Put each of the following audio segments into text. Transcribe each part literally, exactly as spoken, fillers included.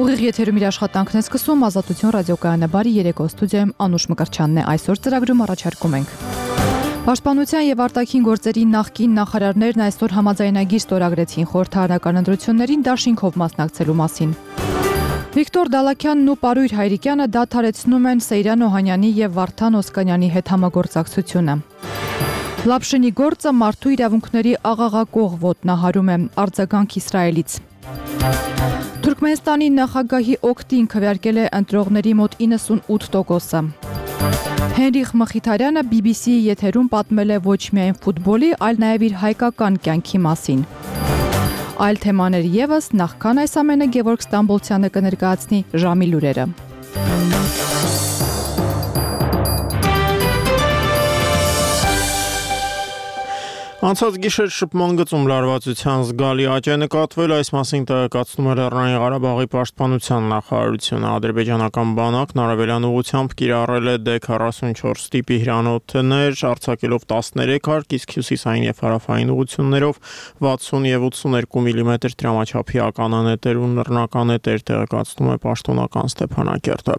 Ուղիղ եթերում իր աշխատանքն է սկսում Ազատություն ռադիոկայանը բարի երեկո ստուդիայում Անուշ Մկրտչյանն է այսօր ծրագրում առաջարկում ենք։ Պաշտպանության եւ արտաքին գործերի նախկին նախարարներն այսօր համաձայնագիր ստորագրեցին խորհրդարանական ընտրություններին դաշինքով մասնակցելու մասին։ Վիկտոր Դալաքյանն ու Պարույր Հայրիկյանը դադարեցնում են Սեյրան Օհանյանի եւ Վարդան Օսկանյանի հետ համագործակցությունը։ Լապշինի գործը մարդու իրավունքների աղաղակող ոտնահարում է արձագանք Իսրայելից։ Թուրքմենստանի նախագահի օգտին քվեարկել է ընտրողների մոտ իննսունութ տոկոսը։ Հենրիխ Մխիթարյանը բի բի սի-ի եթերում պատմել է ոչ միայն ֆուտբոլի, այլ նաև իր հայկական կյանքի մասին։ Այլ թեմաներ ևս, նախքան այս ամենը Գևորգ Ստամբոլցյանը կներկայացնի ժամի լուրերը։ Անցած գիշեր շփման գծում լարվածության զգալի աճ է նկատվել, այս մասին տեղեկացնում է Լեռնային Ղարաբաղի պաշտպանության նախարարությունը։ Ադրբեջանական բանակն արևելյան ուղղությամբ կիրառել է դե քառասունչորս տիպի հրանոթներ, արձակելով տասներեք հարկ, իսկ հյուսիսային եւ հարավային ուղղություններով վաթսուն եւ ութսուներկու միլիմետր դրամաչափի ականանետեր ու նռնականետեր, տեղեկացնում է պաշտոնական Ստեփանակերտը։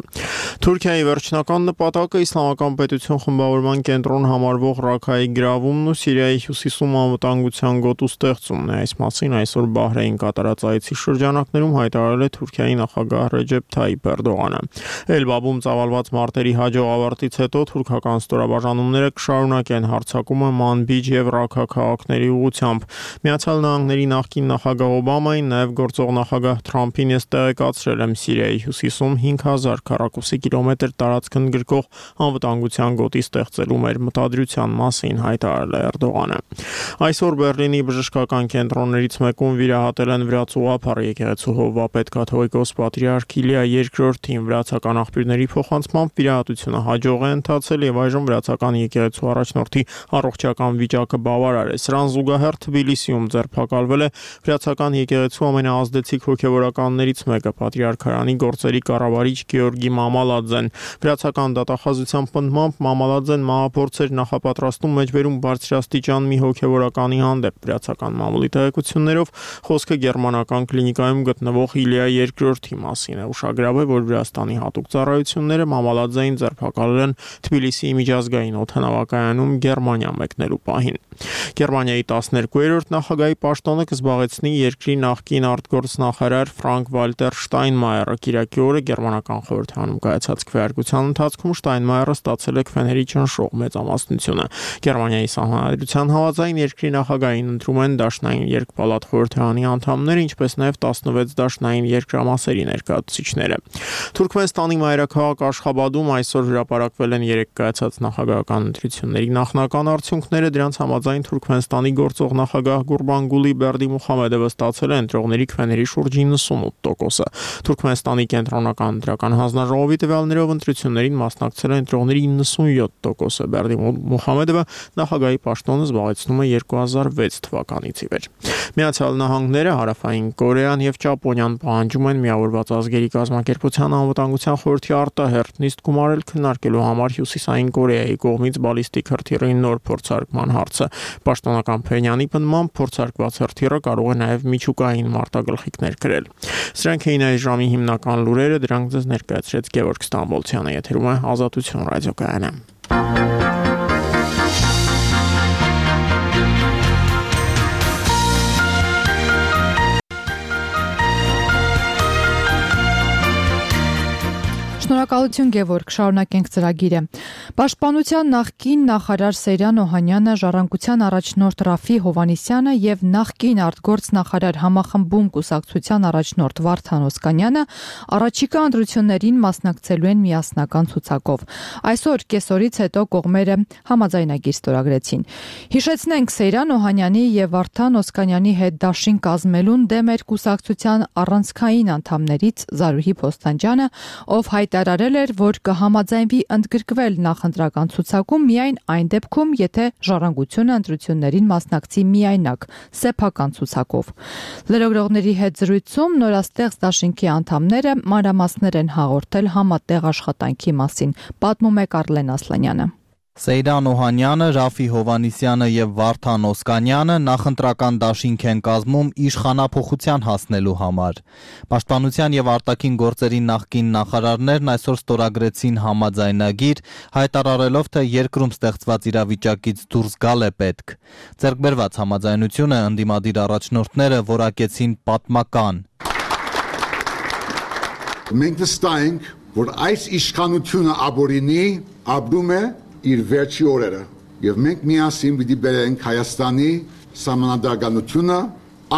Թուրքիայի վերջնական նպատակը Իսլամական պետություն խմբավորման կենտրոն համարվող Ռաքայի գրավումն ու Սիրիայի հյուսիսում անվտանգության գոտու ստեղծումն է։ Այս մասին այսօր Բահրեյն կատարած այցի շրջանակներում հայտարարել է Թուրքիայի նախագահ Ռեջեփ Թայիփ Էրդողանը։ Էլբաբում ծավալված մարտերի հաջող ավարտից հետո թուրքական ստորաբաժանումները կշարունակեն հարձակումը Մանբիջ եւ Ռաքա քաղաքների ուղղությամբ։ Միացյալ Նահանգների նախկին նախագահ Օբամային, նաեւ գործող նախագահ Թրամփին ես տեղեկացրել եմ Սիրիայի հյուսիսում հինգ հազար քառակուսի կիլոմետր տարածք ընդգրկող անվտանգության գոտի ստեղծելու մեր մտադրության մասին հայտարարել է Էրդողանը։ Այսօր Բեռլինի բժշկական կենտրոններից մեկում վիրահատել են վրաց ուղղափառ եկեղեցու հովվապետ կաթողիկոս պատրիարք Իլիա երկրորդին։ Վրացական աղբյուրների փոխանցմամբ վիրահատությունը հաջող է ընթացել եւ այժմ վրացական եկեղեցու առաջնորդի առողջական վիճակը բավարար է։ Սրան զուգահեռ Թբիլիսիում ձերբակալվել է վրացական եկեղեցու ամենաազդեցիկ հոգեվորականներից մեկը, պատրիարքարանի գործերի կառավարիչ Գեորգի Մամալաձեն։ Վրացական դատախազության պնդմամբ Մամալաձեն մահափորձեր նախապատրաստում մեջբերում բարձրաստիճան մի հոգեվորականի հանդեպ։ Վրացական մամուլի տեղեկություններով խոսքը գերմանական կլինիկայում գտնվող Իլիա երկրորդի մասին է։ Ուշագրավ է, որ Վրաստանի հատուկ ծառայությունները Մամալաձեին ձերբակալել են Թբիլիսիի միջազգային օդանավակայանում Գերմանիա մեկնելու պահին։ Գերմանիայի տասներկուերորդ նախագահի պաշտոնը կզբաղեցնի երկրի նախկին արտգործնախարար Ֆրանկ Վալտեր Շտայնմայերը։ Կիրակի օրը գերմանական խորհրդարանում կայացած քվեարկության ընթացքում Շտայնմայերը ստացել է քվեների ճնշող մեծամասնությունը։ Գերմանիայի սահմանադրության համաձայն երկրի նախագահին ընտրում են դաշնային երկպալատ խորհրդարանի անդամները, ինչպես նաև տասնվեց դաշնային երկրամասերի ներկայացուցիչները։ Թուրքմենստանի մայրաքաղաք Աշխաբադում այսօր հրապարակվել են երեք կայացած նախագահական ընտրությունների նախնական արդյունքները։ Դրանց համաձայն Թուրքմենստանի գործող նախագահ Գուրբանգուլի Բերդիմուխամեդովը ստացել է ընտրողների քվեների շուրջ իննսունութ տոկոսը։ Թուրքմենստանի կենտրոնական ընտրական հանձնաժողովի տվյալներով ընտրություններին մասնակցել են ընտրողների իննսունյոթ տոկոսը։ Բերդիմուխամեդովը նախագահի պաշտոնը զբաղեցնում է երկու հազար վեց թվականից ի վեր։ Միացյալ Նահանգները, Հարավային Կորեան եւ Ճապոնիան պահանջում են Միավորված ազգերի կազմակերպության անվտանգության խորհրդի արտահերթ նիստ գումարել քննարկելու համար Հյուսիսային Կորեայի կողմից բալիստիկ հրթիռի նոր փորձարկման հարցը։ Պաշտոնական Փենյանի պնդմամբ փորձարկված հրթիռը կարող է նաեւ միջուկային մարտագլխիկներ կրել։ Սրանք էին այս ժամի հիմնական լուրերը, դրանք ձեզ ներկայացրեց Գևորգ Ստամբոլցյանը, եթերում է Ազատություն ռադիոկայանը։ Շնորհակալություն Գևորգ, շարունակենք ծրագիրը։ Պաշտպանության նախկին նախարար Սեյրան Օհանյանը, Ժառանգության առաջնորդ Ռաֆի Հովհաննիսյանը եւ նախկին արտգործնախարար Համախմբում կուսակցության առաջնորդ Վարդան Օսկանյանը առաջիկա ընտրություններին մասնակցելու են միասնական ցուցակով։ Այսօր կեսօրից հետո կողմերը համաձայնագիր ստորագրեցին։ Հիշեցնենք, Սեյրան Օհանյանի եւ Վարդան Օսկանյանի հետ դաշին կազմելուն դեմ էր կուսակցության առանցքային անդամներից Զարուհի Փոստանջյանը, ով հայտարարել էր, որ կհամաձայնվի ընդգրկվել նախընտրական ցուցակում միայն այն դեպքում, եթե Ժառանգությունը ընտրություններին մասնակցի միայնակ սեփական ցուցակով։ Լրագրողների հետ զրույցում նորաստեղծ դաշինքի անդամները մանրամասներ են հաղորդել համատեղ աշխատանքի մասին, պատմում է Կարլեն Ասլանյանը։ Սեյրան Օհանյանը, Ռաֆի Հովանիսյանը եւ Վարդան Օսկանյանը նախընտրական դաշինք են կազմում իշխանափոխության հասնելու համար։ Պաշտպանության եւ արտաքին գործերի նախկին նախարարներն այսօր ստորագրեցին համաձայնագիր, հայտարարելով, թե երկրում ստեղծված իրավիճակից դուրս գալ է պետք։ Ձեռքբերված համաձայնությունը ընդդիմադիր առաջնորդները որակեցին պատմական։ Մենք վստահ ենք, որ այս իշխանությունը ապօրինի ապրում է իր վերջի օրերը, եւ մենք միասին պիտի բերենք Հայաստանի սահմանադրականությունը,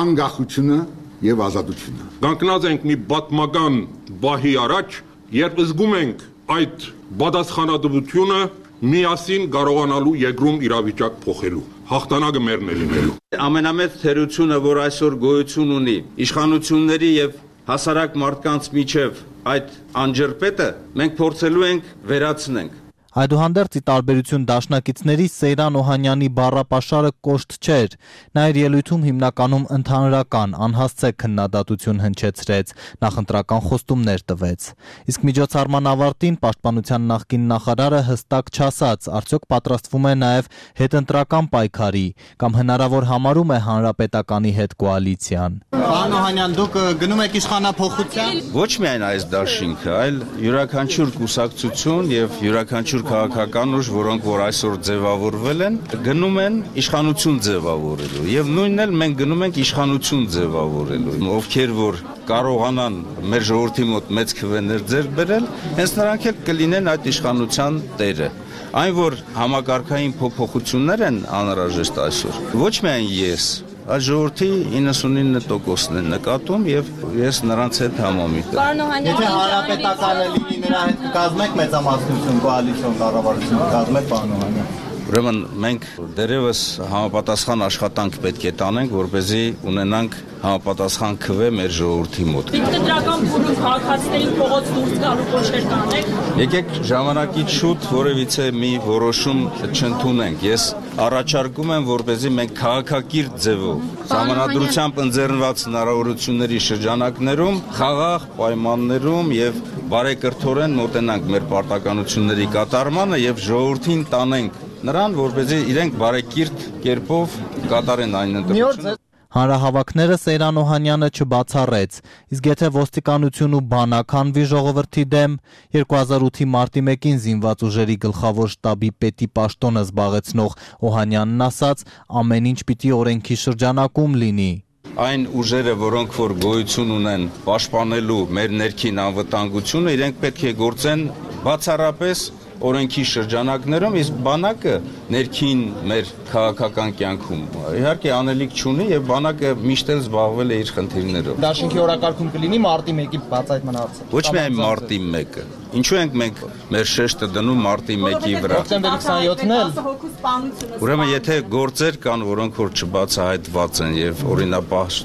անկախությունը եւ ազատությունը։ Կանգնած ենք մի պատմական բահի առաջ, երբ զգում ենք այդ պատասխանատվությունը միասին կարողանալու երկրում իրավիճակ փոխելու։ Հաղթանակը մերն է լինելու։ Ամենամեծ թերությունը, որ այսօր գոյություն ունի իշխանությունների եւ հասարակ մարդկանց միջև այդ անջրպետը, մենք փորձելու ենք վերացնենք։ Այդուհանդերձ ի տարբերություն դաշնակիցների Սեյրան Օհանյանի բառապաշարը կոշտ չէր, նա իր ելույթում հիմնականում ընդհանրական, անհասցե քննադատություն հնչեցրեց, նախընտրական խոստումներ տվեց։ Իսկ միջոցառման ավարտին պաշտպանության նախկին նախարարը հստակ չասաց, արդյոք պատրաստվում է նաև հետընտրական պայքարի, կամ հնարավոր համարում է հանրապետականի հետ կոալիցիան։ Պարոն Օհանյան, դուք գնում եք իշխանափոխության։ Ոչ միայն այս դաշինքը, այլ յուրաքանչյուր կուսակցություն եւ յուրաքանչյուր քաղաքական ուժ, որոնք որ այսօր ձևավորվել են, գնում են իշխանություն ձևավորելու եւ նույնն էլ մենք գնում ենք իշխանություն ձևավորելու։ Ովքեր որ կարողանան մեր ժողովրդի մոտ մեծ քվեներ ձեռք բերել, հենց նրանք էլ կլինեն այդ իշխանության տերը։ Այն որ համակարգային փոփոխություններ են անհրաժեշտ այսօր, ոչ միայն ես, այլ ժողովրդի իննսունինը տոկոսն են նկատում եւ ես նրանց հետ համամիտ եմ։ Եթե հանրապետականը լինի, նրա հետ կազմեք մեծամասնություն, կոալիցիոն կառավարություն կազմեք, պարոն Օհանյան։ Ուրեմն մենք դերևս համապատասխան աշխատանք պետք է տանենք, որպեսզի ունենանք համապատասխան քվե մեր ժողովրդի մոտ։ Դրական բուրում քաղաքացիներին փողոց դուրս գալու կոչեր կանեք։ Եկեք ժամանակից շուտ որևիցե մի որոշում չընդունենք։ Ես առաջարկում եմ, որպեսզի մենք քաղաքակիրթ ձևով համանadrությամբ ընձեռնված հնարավորությունների շրջանակներում խաղաղ պայմաններում եւ բարեկրթորեն մոտենանք մեր պարտականությունների կատարմանը եւ ժողովրդին տանենք նրան, որպեսզի իրենք բարեկիրթ կերպով կատարեն այն ընտրությունը։ Հանրահավաքները Սեյրան Օհանյանը չբացառեց, իսկ եթե ոստիկանություն ու բանակ հանվի ժողովրդի դեմ, երկու հազար ութի մարտի մեկին զինված ուժերի գլխավոր շտաբի պետի պաշտոնը զբաղեցնող Օհանյանն ասաց, ամեն ինչ պիտի օրենքի շրջանակում լինի։ Այն ուժերը, որոնք որ գոյություն ունեն պաշտպանելու մեր ներքին անվտանգությունը, իրենք պետք է գործեն բացառապես օրենքի շրջանակներում, իսկ բանակը ներքին մեր քաղաքական կյանքում իհարկե անելիք չունի եւ բանակը միշտ էլ զբաղվել է իր խնդիրներով։ Դաշինքի օրակարգում կլինի մարտի մեկի բացահայտման հարցը։ Ոչ միայն մարտի մեկը։ Ինչու ենք մենք մեր շեշտը դնում մարտի մեկի վրա։ Դեկտեմբերի քսաներկուսն էլ։ Ուրեմն եթե գործեր կան, որոնք որ չբացահայտված են եւ օրինապահ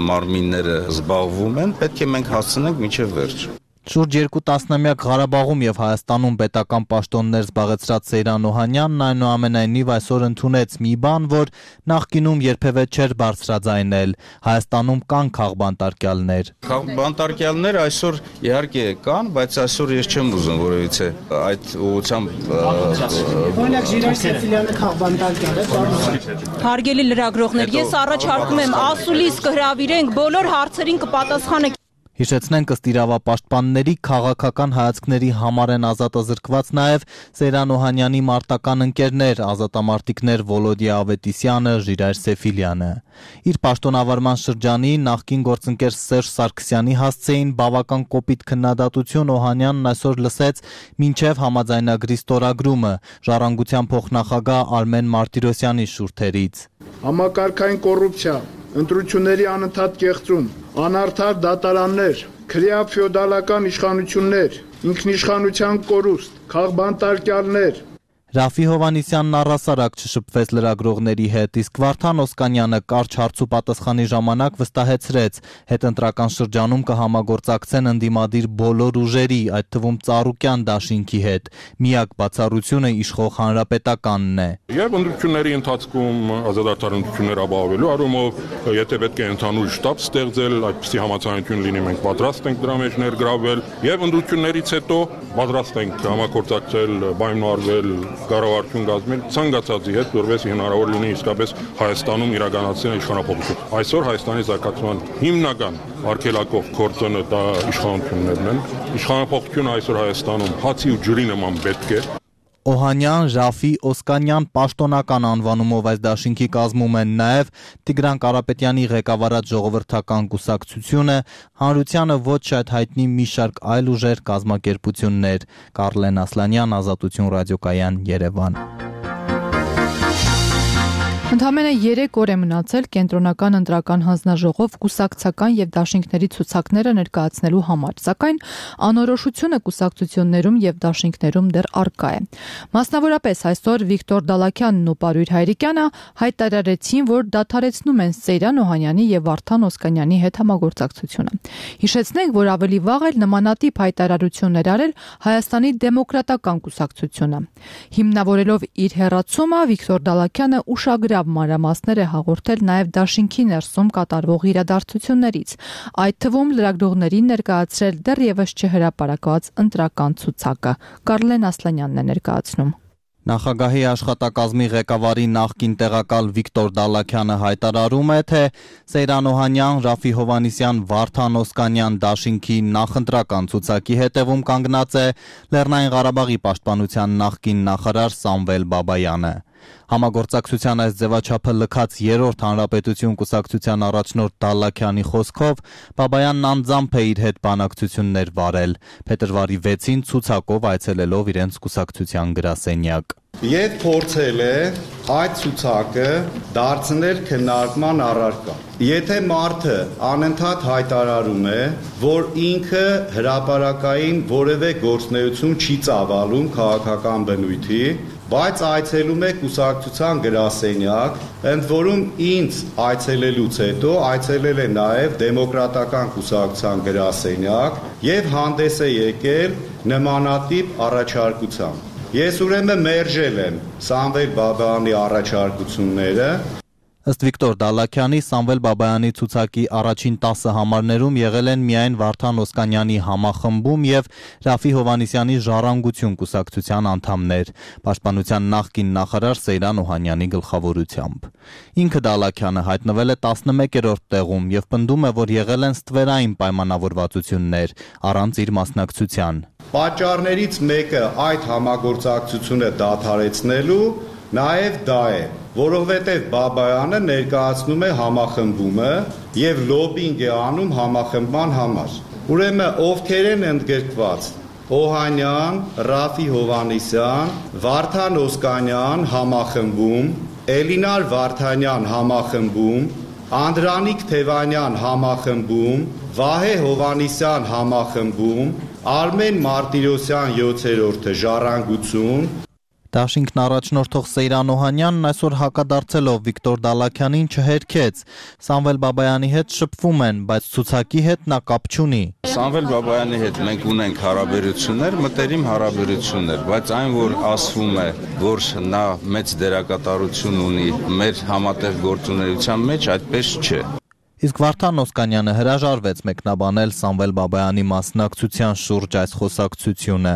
մարմինները զբաղվում են, պետք է մենք հասցնենք մինչեւ վերջ։ Շուրջ երկու տասնամյակ Ղարաբաղում եւ Հայաստանում պետական պաշտոններ զբաղեցրած Սեյրան Օհանյանն այնուամենայնիվ այսօր ընդունեց մի բան, որ նախկինում երբևէ չէր բարձրաձայնել։ Հայաստանում կան քաղբանտարկյալներ։ Քաղբանտարկյալներ այսօր իհարկե կան, բայց այսօր ես չեմ ուզում որևիցե այդ ուղղությամբ Օրինակ Ժիրայր Սեֆիլյանը քաղբանտարկյալ է։ Հարգելի լրագրողներ, ես առաջարկում եմ ասուլիս կհրավիրենք, բոլոր հարցերին կպատասխանեք։ Հիշեցնենք ըստ իրավապաշտպանների քաղաքական հայացքների համար են ազատազրկված նաև Սեյրան Օհանյանի մարտական ընկերներ, ազատամարտիկներ Վոլոդիա Ավետիսյանը, Ժիրայր Սեֆիլյանը։ Իր պաշտոնավարման շրջանի նախկին գործընկեր Սերժ Սարգսյանի հասցեին բավական կոպիտ քննադատություն Օհանյանն այսօր լսեց մինչև համաձայնագրի ստորագրումը Ժառանգության փոխնախագահ Արմեն Մարտիրոսյանի շուրթերից։ Համակարգային կոռուպցիա, ընտրությունների անընդհատ կեղծում, անարդար դատարաններ, քրեա ֆեոդալական իշխանություններ, ինքնիշխանության կորուստ, քաղբանտարկյալներ։ Ռաֆի Հովանիսյանն առհասարակ չշփվեց լրագրողների հետ, իսկ Վարդան Օսկանյանը կարճ հարց ու պատասխանի ժամանակ վստահեցրեց, հետընտրական շրջանում կհամագործակցեն ընդդիմադիր բոլոր ուժերի, այդ թվում Ծառուկյան դաշինքի հետ։ Միակ բացառությունը իշխող Հանրապետականն է։ Եվ ընտրությունների ընթացքում ազատարարություններ ապահովելու առումով, եթե պետք է ընդհանուր շտաբ ստեղծել, այդպիսի համաձայնություն լինի, մենք պատրաստ ենք դրա մեջ ներգրավվել, եւ ընտրություններից հետո պատրաստ ենք համագործակցել, պայմանավորվել կառավարություն կազմել ցանկացածի հետ, որովհետեւ հնարավոր լինի իսկապես Հայաստանում իրականացնել իշխանապողություն։ Այսօր Հայաստանի զարգացման հիմնական արգելակող գործոնը դա իշխանություններն են։ Իշխանապողությունը այսօր Հայաստանում հացի ու ջրի նման պետք է։ Օհանյան, Ժաֆի, Օսկանյան պաշտոնական անվանումով այս դաշինքի կազմում են նաև Տիգրան Կարապետյանի ղեկավարած ժողովրդական կուսակցությունը, հանրությանը ոչ շատ հայտնի մի շարք այլ ուժեր, կազմակերպություններ։ Կարլեն Ասլանյան, Ազատություն ռադիոկայան, Երևան։ Ընդամենը երեք օր է մնացել կենտրոնական ընտրական հանձնաժողով կուսակցական եւ դաշինքների ցուցակները ներկայացնելու համար, սակայն անորոշությունը կուսակցություններում եւ դաշինքներում դեռ առկա է։ Մասնավորապես այսօր Վիկտոր Դալաքյանն ու Պարույր Հայրիկյանը հայտարարեցին, որ դադարեցնում են Սեյրան Օհանյանի եւ Վարդան Օսկանյանի հետ համագործակցությունը։ Հիշեցնենք, որ ավելի վաղ էլ նմանատիպ հայտարարություններ արել Հայաստանի դեմոկրատական կուսակցությունը։ Հիմնավորելով իր հերացումը Վիկտոր Դալաքյանը ուշագրավ մանրամասներ է հաղորդել նաև դաշինքի ներսում կատարվող իրադարձություններից, այդ թվում լրագրողներին ներկայացրել դեռևս չհրապարակված ընտրական ցուցակը։ Կարլեն Ասլանյանն է ներկայացնում։ Նախագահի աշխատակազմի ղեկավարի նախկին տեղակալ Վիկտոր Դալաքյանը հայտարարում է, թե Սեյրան Օհանյան, Ռաֆի Հովհաննիսյան, Վարդան Օսկանյան դաշինքի նախընտրական ցուցակի հետևում կանգնած է Լեռնային Ղարաբաղի պաշտպանության նախկին նախարար Սամվել Բաբայանը։ Համագործակցության այս ձևաչափը լքած երրորդ հանրապետություն կուսակցության առաջնորդ Դալաքյանի խոսքով Բաբայանն անձամբ է իր հետ բանակցություններ վարել, փետրվարի վեցին ցուցակով այցելելով իրենց կուսակցության գրասենյակ։ Եվ փորձել է այդ ցուցակը դարձնել քննարկման առարկա։ Եթե մարդը անընդհատ հայտարարում է, որ ինքը հրապարակային որևէ գործունեություն չի ծավալում քաղաքական բնույթի, բայց այցելում է կուսակցության գրասենյակ, ընդ որում ինձ այցելելուց հետո այցելել է նաև դեմոկրատական կուսակցության գրասենյակ եւ հանդես է եկել նմանատիպ առաջարկությամբ։ Ես ուրեմն մերժել եմ Սամվել Բաբայանի առաջարկությունները։ Ըստ Վիկտոր Դալաքյանի, Սամվել Բաբայանի ցուցակի առաջին տասը համարներում եղել են միայն Վարդան Օսկանյանի համախմբում եւ Ռաֆի Հովհաննիսյանի ժառանգություն կուսակցության անդամներ, պաշտպանության նախկին նախարար Սեյրան Օհանյանի գլխավորությամբ։ Ինքը Դալաքյանը հայտնվել է տասնմեկերորդ տեղում եւ պնդում է, որ եղել են ստվերային պայմանավորվածություններ առանց իր մասնակցության։ Պատճառներից մեկը այդ համագործակցությունը դադարեցնելու նաև դա է, որովհետև Բաբայանը ներկայացնում է համախմբումը եւ լոբինգ է անում համախմբման համար։ Ուրեմն ովքեր են ընդգրկված Օհանյան, Ռաֆի Հովհաննիսյան, Վարդան Օսկանյան համախմբում, Էլինար Վարդանյան համախմբում, Անդրանիկ Թևանյան համախմբում, Վահե Հովհաննիսյան համախմբում, Արմեն Մարտիրոսյան յոթերորդը ժառանգություն։ Դաշինքն առաջնորդող Սեյրան Օհանյանն այսօր հակադարձելով Վիկտոր Դալաքյանին չհերքեց։ Սամվել Բաբայանի հետ շփվում են, բայց ցուցակի հետ նա կապ չունի։ Սամվել Բաբայանի հետ մենք ունենք հարաբերություններ, մտերիմ հարաբերություններ, բայց այն, որ ասվում է, որ նա մեծ դերակատարություն ունի մեր համատեղ գործունեության մեջ, այդպես չէ։ Իսկ Վարդան Օսկանյանը հրաժարվեց մեկնաբանել Սամվել Բաբայանի մասնակցության շուրջ այս խոսակցությունը։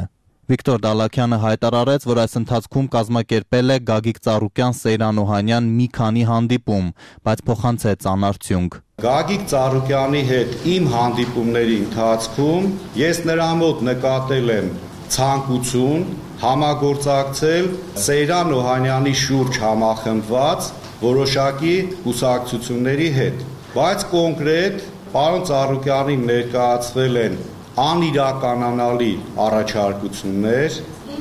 Վիկտոր Դալաքյանը հայտարարեց, որ այս ընթացքում կազմակերպել է Գագիկ Ծառուկյան, Սեյրան Օհանյան մի քանի հանդիպում, բայց փոխանցեց անարդյունք։ Գագիկ Ծառուկյանի հետ իմ հանդիպումների ընթացքում ես նրա մոտ նկատել եմ ցանկություն համագործակցել Սեյրան Օհանյանի շուրջ համախմբված որոշակի կուսակցությունների հետ, բայց կոնկրետ պարոն Ծառուկյանին ներկայացվել են անիրականանալի առաջարկություններ,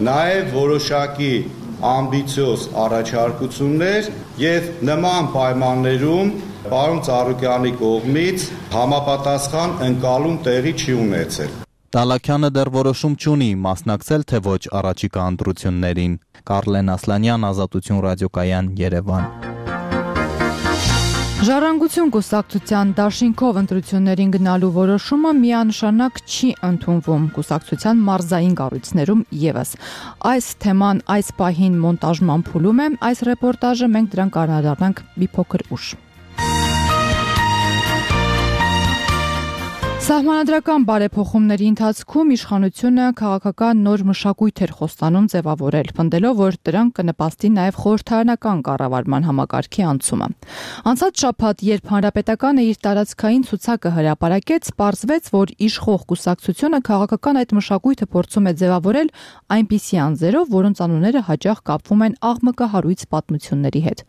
նաև որոշակի ամբիցիոզ առաջարկություններ եւ նման պայմաններում պարոն Ծառուկյանի կողմից համապատասխան ընկալում տեղի չի ունեցել։ Դալաքյանը դեռ որոշում չունի մասնակցել թե ոչ առաջիկա ընտրություններին։ Կարլեն Ասլանյան, Ազատություն ռադիոկայան, Երևան։ Ժառանգություն կուսակցության դաշինքով ընտրություններին գնալու որոշումը միանշանակ չի ընդունվում կուսակցության մարզային կառույցներում եւս։ Այս թեման այս պահին մոնտաժման փուլում է, այս ռեպորտաժը մենք դրան կանդրադառնանք մի փոքր ուշ։ Սահմանադրական բարեփոխումների ընթացքում իշխանությունը քաղաքական նոր մշակույթ էր խոստանում ձևավորել, պնդելով, որ դրանք կնպաստի նաև խորհրդարանական կառավարման համակարգի անցումը։ Անցած շաբաթ, երբ Հանրապետականը իր տարածքային ցուցակը հրապարակեց, պարզվեց, որ իշխող կուսակցությունը քաղաքական այդ մշակույթը փորձում է ձևավորել այնպիսի անձերով, որոնց անունները հաճախ կապվում են աղմկահարույց պատմությունների հետ։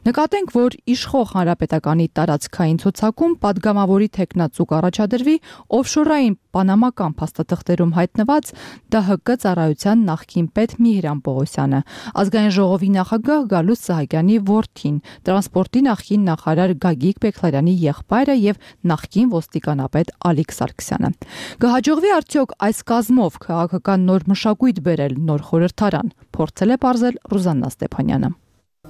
Նկատենք, որ իշխող Հանրապետականի տարածքային ցուցակում պատգամավորի թեկնածու կառաջադրվի օֆշորային պանամական փաստաթղթերում հայտնված Դահ Կը ծառայության նախկին պետ Միհրան Պողոսյանը, ազգային ժողովի նախագահ Գալուստ Սահակյանի որդին, տրանսպորտի նախկին նախարար Գագիկ Բեգլարյանի եղբայրը եւ նախկին ոստիկանապետ Ալիկ Սարգսյանը։ Կհաջողվի արդյոք այս կազմով քաղաքական նոր մշակույթ բերել, նոր խորհրդարան, փորձել է պարզել Ռուզաննա Ստեփանյանը։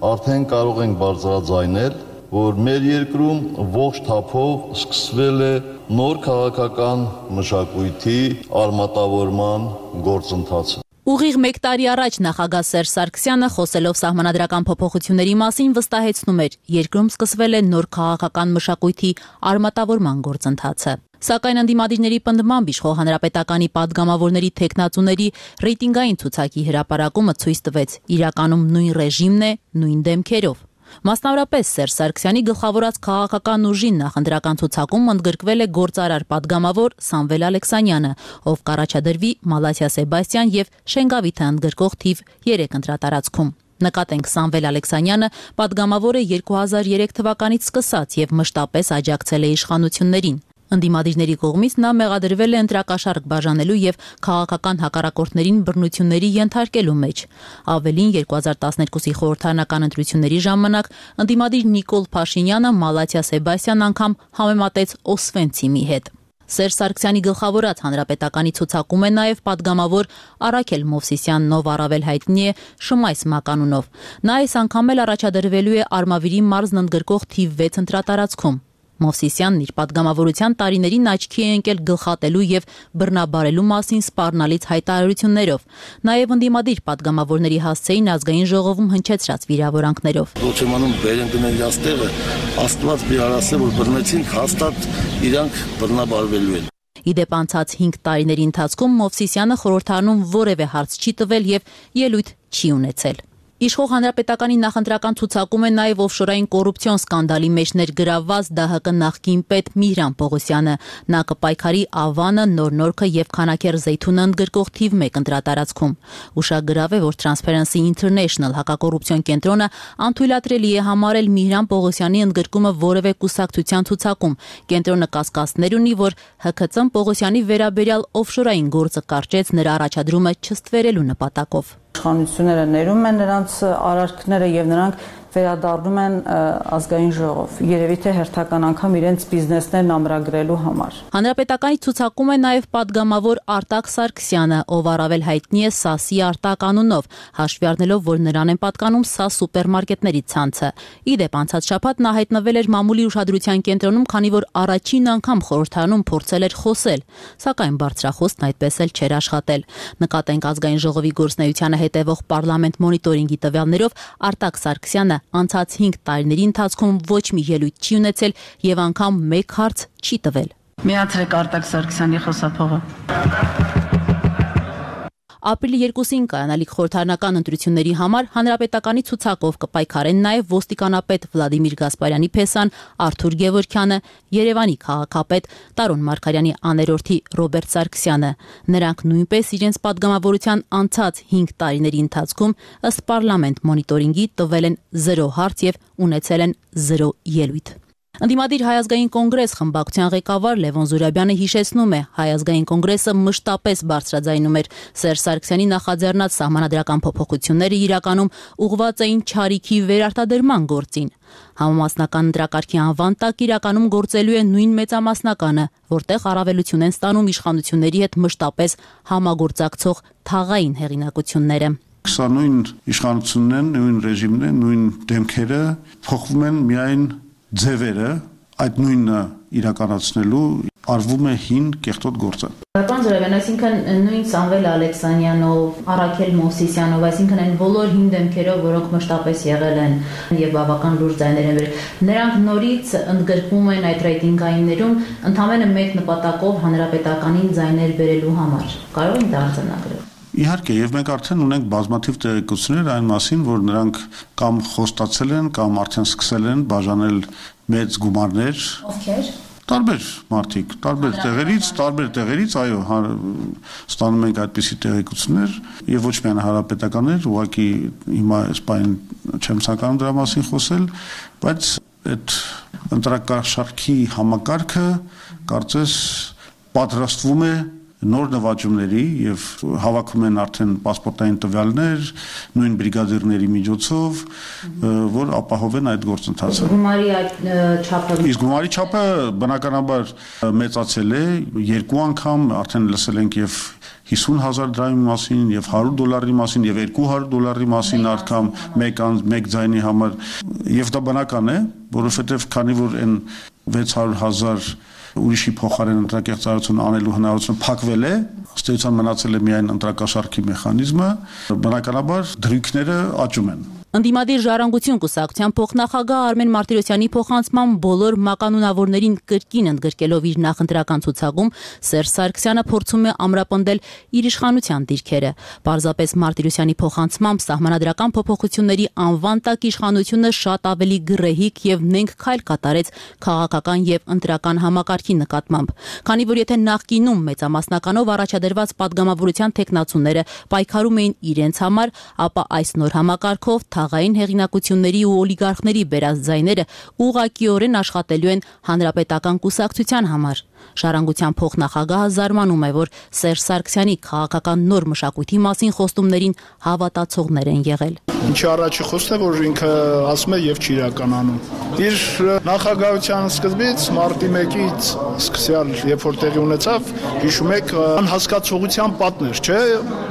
Արդեն կարող ենք բարձրաձայնել, որ մեր երկրում ողջ թափով սկսվել է նոր քաղաքական մշակույթի արմատավորման գործընթացը։ Ուղիղ մեկ տարի առաջ նախագահ Սերժ Սարգսյանը խոսելով սահմանադրական փոփոխությունների մասին վստահեցնում էր, երկրում սկսվել է նոր քաղաքական մշակույթի արմատավորման գործընթացը։ Սակայն ընդդիմադիրների պնդմամբ իշխող Հանրապետականի պատգամավորների թեկնածուների ռեյտինգային ցուցակի հրապարակումը ցույց տվեց իրականում նույն ռեժիմն է, նույն դեմքերով։ Մասնավորապես Սերժ Սարգսյանի գլխավորած քաղաքական ուժին նախընտրական ցուցակում ընդգրկվել է գործարար պատգամավոր Սամվել Ալեքսանյանը, ով կառաջադրվի Մալաթիա Սեբաստյան եւ Շենգավիթը ընդգրկող թիվ երեք ընտրատարածքում։ Նկատենք Սամվել Ալեքսանյանը պատգամավոր է երկու հազար երեք թվականից սկսած եւ մշտապես աջակցել է իշխանություններին։ Ընդդիմադիրների կողմից նա մեղադրվել է ընտրակաշառք բաժանելու եւ քաղաքական հակառակորդներին բռնությունների ենթարկելու մեջ։ Ավելին երկու հազար տասներկուսի խորհրդարանական ընտրությունների ժամանակ ընդդիմադիր Նիկոլ Փաշինյանը Մալաթիա Սեբաստյան անգամ համեմատեց Օսվենցիմի հետ։ Սերժ Սարգսյանի գլխավորած Հանրապետականի ցուցակում է նաև պատգամավոր Արաքել Մովսիսյանն, ով առավել հայտնի է Շմայս մականունով։ Նա այս անգամ էլ առաջադրվելու է Արմավիրի մարզն ընդգրկող թիվ վեց ընտրատարածքում։ Մովսիսյանն իր պատգամավորության տարիներին աչքի է ընկել գլխատելու եւ բռնաբարելու մասին սպառնալից հայտարարություններով, նաեւ ընդդիմադիր պատգամավորների հասցեին ազգային ժողովում հնչեցրած վիրավորանքներով։ Դոչեմանում բերեն գնել աստեղը, Աստված մի արասը, որ բռնեցին, հաստատ իրանք բռնաբարվելու են։ Իդեպ անցած հինգ տարիների ընթացքում Մովսիսյանը խորհրդարանում որևէ հարց չի տվել եւ ելույթ չի ունեցել։ Իշխող Հանրապետականի նախընտրական ցուցակում է նաև օֆշորային կոռուպցիոն սկանդալի մեջ ներգրավված Դահ Կը նախկին պետ Միհրան Պողոսյանը։ Նա կպայքարի Ավանը, Նոր-Նորքը եւ Քանաքեռ Զեյթունը ընդգրկող թիվ մեկ ընտրատարածքում։ Ուշագրավ է, որ Transparency International հակակոռուպցիոն կենտրոնը անթույլատրելի է համարել Միհրան Պողոսյանի ընդգրկումը որևէ կուսակցության ցուցակում։ Կենտրոնը կասկածներ ունի, որ Հ Քծը Պողոսյանի վերաբերյալ օֆշորային գործը կարճեց նրա առաջադրումը չստվերելու նպատակով։ Իշխանությունները ներում են նրանց արարքները եւ նրանք վերադառնում են ազգային ժողով։ Երևի թե հերթական անգամ իրենց բիզնեսներն ամրագրելու համար։ Հանրապետականի ցուցակում է նաև պատգամավոր Արտակ Սարգսյանը, ով առավել հայտնի է ՍԱՍ-ի Արտակ անունով, հաշվի առնելով, որ նրան են պատկանում ՍԱՍ սուպերմարկետների ցանցը։ Իդեպ անցած շաբաթ նա հայտնվել էր մամուլի ուշադրության կենտրոնում, քանի որ առաջին անգամ խորհրդարանում փորձել էր խոսել, սակայն բարձրախոսն այդպես էլ չէր աշխատել։ Նկատենք ազգային ժողովի գործնեությանը հետևող պարլամենտ մոնիտորինգի տվյալներով Արտակ Սարգսյանը անցած հինգ տարիների ընթացքում ոչ մի ելույթ չի ունեցել եւ անգամ մեկ հարց չի տվել։ Միացրեք Արտակ Սարգսյանի խոսափողը։ Ապրիլի երկուսին կայանալիք խորհրդարանական ընտրությունների համար հանրապետականի ցուցակով կպայքարեն նաև ոստիկանապետ Վլադիմիր Գասպարյանի փեսան Արթուր Գևորգյանը, Երևանի քաղաքապետ Տարոն Մարգարյանի աներորդի Ռոբերտ Սարգսյանը։ Նրանք նույնպես իրենց պատգամավորության անցած հինգ տարիների ընթացքում ըստ պարլամենտ մոնիտորինգի տվել են զրո հարց եւ ունեցել են զրո ելույթ։ Ընդդիմադիր Հայ ազգային կոնգրես խմբակցության ղեկավար Լևոն Զուրաբյանը հիշեցնում է, Հայ ազգային կոնգրեսը մշտապես բարձրաձայնում էր Սերժ Սարգսյանի նախաձեռնած սահմանադրական փոփոխությունները իրականում ուղղված էին չարիքի վերարտադրման գործին։ Համամասնական ընտրակարգի անվան տակ իրականում գործելու է նույն մեծամասնականը, որտեղ առավելություն են ստանում իշխանությունների հետ մշտապես համագործակցող թաղային հեղինակությունները։ Սա նույն իշխանությունն են, նույն ռեժիմն են, նույն դեմքերը, փոխվում են միայն ձևերը այդ նույնը իրականացնելու արվում է հին կեղտոտ գործը։ Պարոն Զորավյան, այսինքն նույն Սամվել Ալեքսանյանով, Արաքել Մովսիսյանով, այսինքն այն բոլոր հին դեմքերով, որոնք մշտապես եղել են եւ բավական լուրջ ձայներ են բերել, նրանք նորից ընդգրկվում են այդ ռեյտինգայիններում ընդամենը մեկ նպատակով հանրապետականին ձայներ բերելու համար։ Կարող են դա արձանագրել։ Իհարկե, եւ մենք արդեն ունենք բազմաթիվ տեղեկություններ այն մասին, որ նրանք կամ խոստացել են, կամ արդեն սկսել են բաժանել մեծ գումարներ։ Ովքեր։ Տարբեր մարդիկ, տարբեր տեղերից, տարբեր տեղերից, այո, ստանում ենք այդպիսի տեղեկություններ եւ ոչ միայն հանրապետականներ, ուղղակի հիմա այս բան չեմ ցանկանում դրա մասին խոսել, բայց այդ ընտրակաշարքի համակարգը կարծես պատրաստվում է նոր նվաճումների եւ հավաքում են արդեն պասպորտային տվյալներ, նույն բրիգադիրների միջոցով, որ ապահովեն այդ գործընթացը։ Գումարի այդ չափը Իսկ գումարի չափը բնականաբար մեծացել է, երկու անգամ արդեն լսել ենք եւ հիսուն հազար դրամի մասին եւ հարյուր դոլարի մասին եւ երկու հարյուր դոլարի մասին անգամ մեկ մեկ ձայնի համար եւ դա բնական է, որովհետեւ քանի որ այն վեց հարյուր հազար ուրիշի փոխարեն ընտրակեղծարություն անելու հնարավորությունը փակվել է, ըստ էության մնացել է միայն ընտրակաշարքի մեխանիզմը, բնականաբար դրույքները աճում են։ Ընդդիմադիր ժառանգություն կուսակցության փոխնախագահ Արմեն Մարտիրոսյանի փոխանցմամբ բոլոր մականունավորներին կրկին ընդգրկելով իր նախընտրական ցուցակում Սերժ Սարգսյանը փորձում է ամրապնդել իր իշխանության դիրքերը։ Պարզապես Մարտիրոսյանի փոխանցմամբ սահմանադրական փոփոխությունների անվան տակ իշխանությունը շատ ավելի գռեհիկ եւ նենք քայլ կատարեց քաղաքական եւ ընտրական համակարգի նկատմամբ։ Քանի որ եթե նախկինում մեծամասնականով առաջադրված падգամավորության տեխնացուները պայքարում էին իրենց համար, ապա այս նոր համակարգով թաղային հեղինակությունների ու օլիգարխների բերած ձայները ուղղակիորեն աշխատելու են հանրապետական կուսակցության համար։ Ժառանգության փոխնախագահը զարմանում է, որ Սերժ Սարգսյանի քաղաքական նոր մշակույթի մասին խոստումներին հավատացողներ են եղել։ Ինչի առաջի խոսքն է, որ ինքը ասում է եւ չի իրականանում։ Իր նախագահության սկզբից մարտի մեկից սկսյալ, երբ որ տեղի ունեցավ, հիշում եք, անհասկացողության պատներ, չէ՞,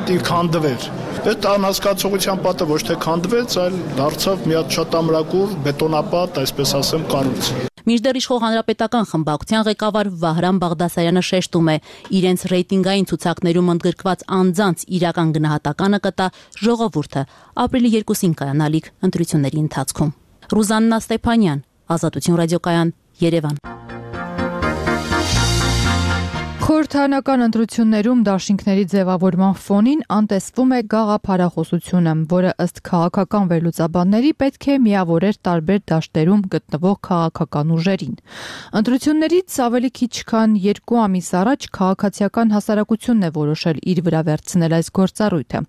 դի քանդվեր։ Այդ անհասկացողության պատը ոչ թե քանդվեց, այլ դարձավ մի հատ շատ ամրակուր բետոնապատ, այսպես ասեմ, կառույց։ Մինչդեռ իշխող հանրապետական խմբակցության ղեկավար Վահրամ Բաղդասարյանը շեշտում է, իրենց ռեյտինգային ցուցակներում ընդգրկված անձանց իրական գնահատականը կտա ժողովուրդը ապրիլի երկուսին կայանալիք ընտրությունների ընթացքում։ Ռուզաննա Ստեփանյան, Ազատություն ռադիոկայան, Երևան։ Խորհրդարանական ընտրություններում դաշինքների ձևավորման ֆոնին անտեսվում է գաղափարախոսությունը, որը ըստ քաղաքական վերլուծաբանների պետք է միավորեր տարբեր դաշտերում գտնվող քաղաքական ուժերին։ Ընտրություններից ավելի քիչ քան երկու ամիս առաջ քաղաքացիական հասարակությունն է որոշել իր վրա վերցնել այս գործառույթը։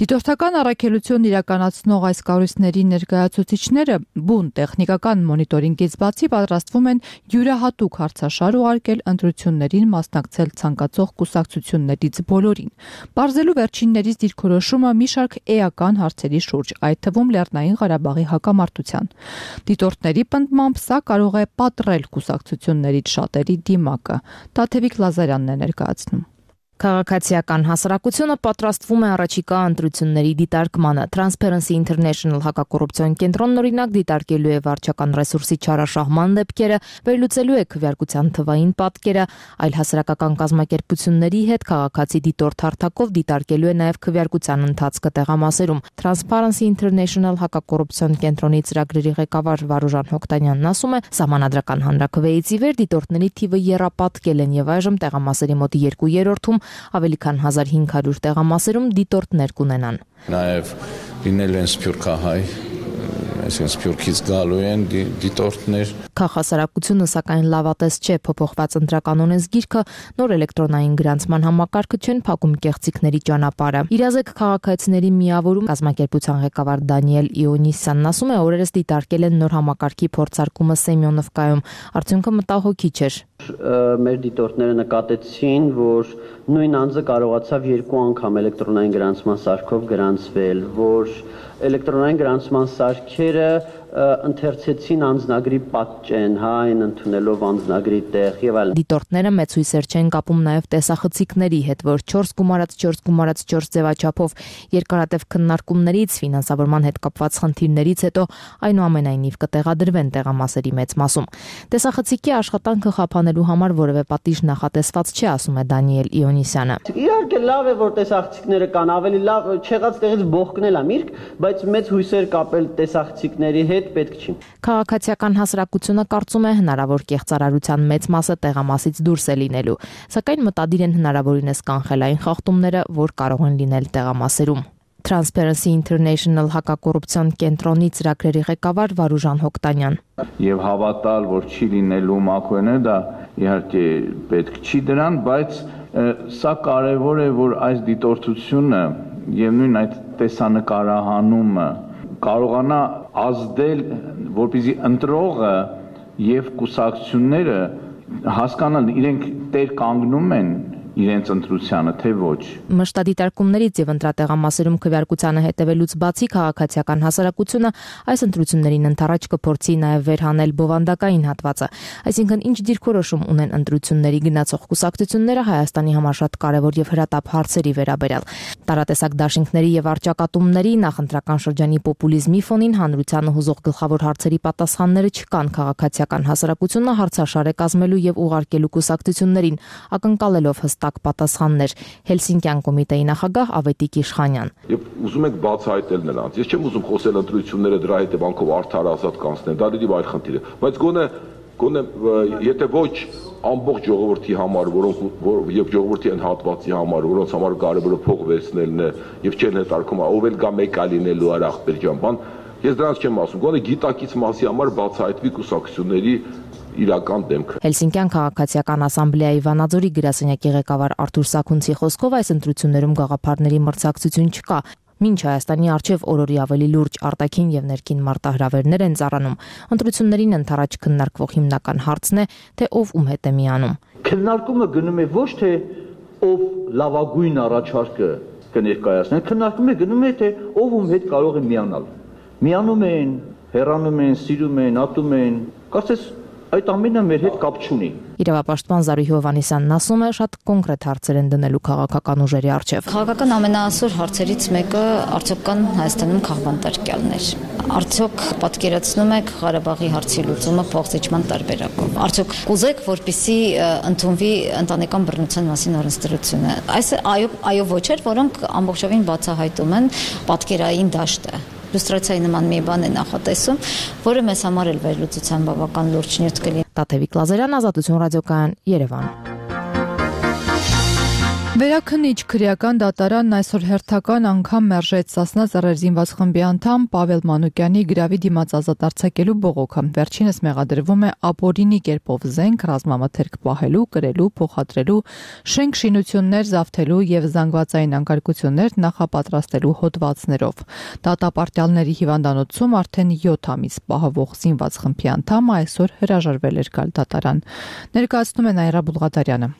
Դիտորդական առաքելություն իրականացնող այս կառույցների ներկայացուցիչները բուն տեխնիկական մոնիտորինգից բացի պատրաստվում են յուրահատուկ հարցաշար ուղարկել ընտրություններին մասնակցել ցանկացող կուսակցություններից բոլորին, բարձելու վերջիններից դիրքորոշումը մի շարք էական հարցերի շուրջ, այդ թվում Լեռնային Ղարաբաղի հակամարտության։ Դիտորդների պնդմամբ սա կարող է պատռել կուսակցություններից շատերի դիմակը։ Տաթևիկ Լազարյանն է ներկայացնում։ Քաղաքացիական հասարակությունը պատրաստվում է առաջիկա ընտրությունների դիտարկմանը։ Transparency International հակակոռուպցիոն կենտրոնն օրինակ դիտարկելու է վարչական ռեսուրսի չարաշահման դեպքերը, վերլուծելու է քվեարկության թվային պատկերը, այլ հասարակական կազմակերպությունների հետ քաղաքացի դիտորդ հարթակով դիտարկելու է նաև քվեարկության ընթացքը տեղամասերում։ Transparency International հակակոռուպցիոն կենտրոնի ծրագրերի ղեկավար Վարուժան Հոկտանյանն ասում է, սահմանադրական հանրաքվեից ի վեր դիտորդների թիվը եռապատկել են եւ այժմ տեղամասերի մոտ երկու երրորդում ավելի քան հազար հինգ հարյուր տեղամասերում դիտորդներ կունենան։ Նաև լինելու են սփյուռքահայ, այսինքն սփյուռքից գալու են դիտորդներ։ Քաղաքասարակությունը սակայն լավատես չէ, փոփոխված ընտրական օրենսգիրքը, նոր էլեկտրոնային գրանցման համակարգը չեն փակում կեղծիքների ճանապարհը։ Իրազեկ քաղաքացիների միավորում կազմակերպության ղեկավար Դանիել Իոնիսյանն ասում է, օրերս դիտարկել են նոր համակարգի փորձարկումը Սեմյոնովկայում, արդյունքը մտահոգիչ էր։ Մեր դիտորդները նկատեցին, որ նույն անձը կարողացավ երկու անգամ էլեկտրոնային գրանցման սարքով գրանցվել, որ էլեկտրոնային գրանցման սարքերը ընթերցեցին անձնագրի պատճեն, հա, այն ընդունելով անձնագրի տեղ եւ այլն։ Դիտորդները մեծ հույսեր չեն կապում նաեւ տեսախցիկների հետ, որ չորս գումարած չորս գումարած չորս ձևաչափով երկարատև քննարկումներից, ֆինանսավորման հետ կապված խնդիրներից հետո այնուամենայնիվ կտեղադրվեն տեղամասերի մեծ մասում։ Տեսախցիկի աշխատանքը խափանելու համար որևէ պատիժ նախատեսված չէ, ասում է Դանիել Իոնիսյանը։ Իհարկե լավ է, որ տեսախցիկները կան, ավելի լավ չեղած տեղից բողկնել է միրգ, բայց մեծ հույսեր կապել տեսախցիկների հետ պետք չի։ Քաղաքացիական հասարակությունը կարծում է հնարավոր կեղծարարության մեծ մասը տեղամասից դուրս է լինելու, սակայն մտադիր են հնարավորինս կանխել այն խախտումները, որ կարող են լինել տեղամասերում։ Transparency International հակակոռուպցիոն կենտրոնի ծրագրերի ղեկավար Վարուժան Հոկտանյան։ Եվ հավատալ, որ չի լինելու մաքուեներ, դա իհարկե պետք չի դրան, բայց սա կարևոր է, որ այս դիտորդությունը եւ նույն այդ տեսանկարահանումը կարողանա ազդել, որպեսզի ընտրողը եւ կուսակցությունները հասկանան, իրենք տեր կանգնում են իրենց ընտրությանը, թե ոչ։ Մշտադիտարկումներից եւ ընտրատեղամասերում քվեարկությանը հետևելուց բացի քաղաքացիական հասարակությունը այս ընտրություններին ընթരാճ կփորձի նաեւ վերհանել բովանդակային հատվածը, այսինքն ինչ դիրքորոշում ունեն ընտրությունների գնացող կուսակցությունները Հայաստանի համար շատ կարևոր եւ հրատապ հարցերի վերաբերյալ։ Տարատեսակ դաշինքների եւ արճակատումների նախընտրական շրջանի պոպուլիզմի ֆոնին հանրությանը հուզող գլխավոր հարցերի պատասխանները չկան, քաղաքացիական հասարակությունը հարցաշար է կազմելու եւ ուղարկելու կուսակցություններին, ակնկալելով տակ պատասխաններ։ Հելսինկյան կոմիտեի նախագահ Ավետիք Իշխանյան։ Եվ ուզում եք բացահայտել նրանց։ Ես չեմ ուզում խոսել ընտրությունները դրա հետևանքով արդար ազատ կանցնեն, դա դեպի այլ խնդիր է, բայց գոնե գոնե եթե ոչ ամբողջ ժողովրդի համար, որոնք եւ ժողովրդի այն հատվածի համար, որոնց համար կարևորը փող վերցնելն է եւ չեն հետարկում, ով էլ գա մեկ այլ լինելու Արախպեր ջան, բան, ես դրանց չեմ ասում, գոնե գիտակից մասի համար բացահայտվի կուսակցությունների իրական դեմքը։ Հելսինկյան քաղաքացիական ասամբլեայի Վանաձորի գրասենյակի ղեկավար Արթուր Սաքունցի խոսքով այս ընտրություններում գաղափարների մրցակցություն չկա։ Մինչ Հայաստանի արչև օրորի ավելի լուրջ արտաքին եւ ներքին մարտահրավերներ են ծառանում, ընտրություններին ընթരാճ քննարկվող հիմնական հարցն է, թե ով ում հետ է միանում։ Քննարկումը գնում է ոչ թե ով լավագույն առաջարկը կներկայացնի, քննարկումը գնում է թե ով ում հետ կարող է միանալ։ Միանում են, հեռանում են, սիրում են, ատում են, կարծես այդ ամենը մեր հետ կապ չունի։ Իրավապաշտպան Զարուհի Հովհաննիսյանն ասում է, շատ կոնկրետ հարցեր են դնելու քաղաքական ուժերի առջև։ Քաղաքական ամենաասոր հարցերից մեկը արդյոք կան Հայաստանում քաղբանտարկյալներ։ Արդյոք պատկերացնում եք Ղարաբաղի հարցի լուծումը փոխզիջման տարբերակով։ Արդյոք կուզեք, որպեսզի ընդունվի ընտանեկան բռնության մասին օրենսդրությունը։ Այս այո, այո ոչ էր, որոնք ամբողջովին բացահայտում են պատկերային դաշտը։ Լուստրացիայի նման մի բան է նախատեսում, որը մեզ համար էլ վերլուծության բավական լուրջ նյութ կլինի։ Տաթևիկ Լազարյան, Ազատություն ռադիոկայան, Երևան։ Վերաքննիչ քրեական դատարանն այսօր հերթական անգամ մերժեց Սասնա Ծռեր զինված խմբի անդամ Պավել Մանուկյանի գրավի դիմաց ազատ արձակելու բողոքը։ Վերջինս մեղադրվում է ապօրինի կերպով զենք, ռազմամթերք պահելու, կրելու, փոխադրելու, շենք շինություններ զավթելու եւ զանգվածային անկարգություններ նախապատրաստելու հոդվածներով։ Դատապարտյալների հիվանդանոցում արդեն յոթ ամիս պահվող զինված խմբի անդամը այսօր հրաժարվել էր գալ դատարան։ Ներկայացնում է Նաիրա Բուլղադարյանը։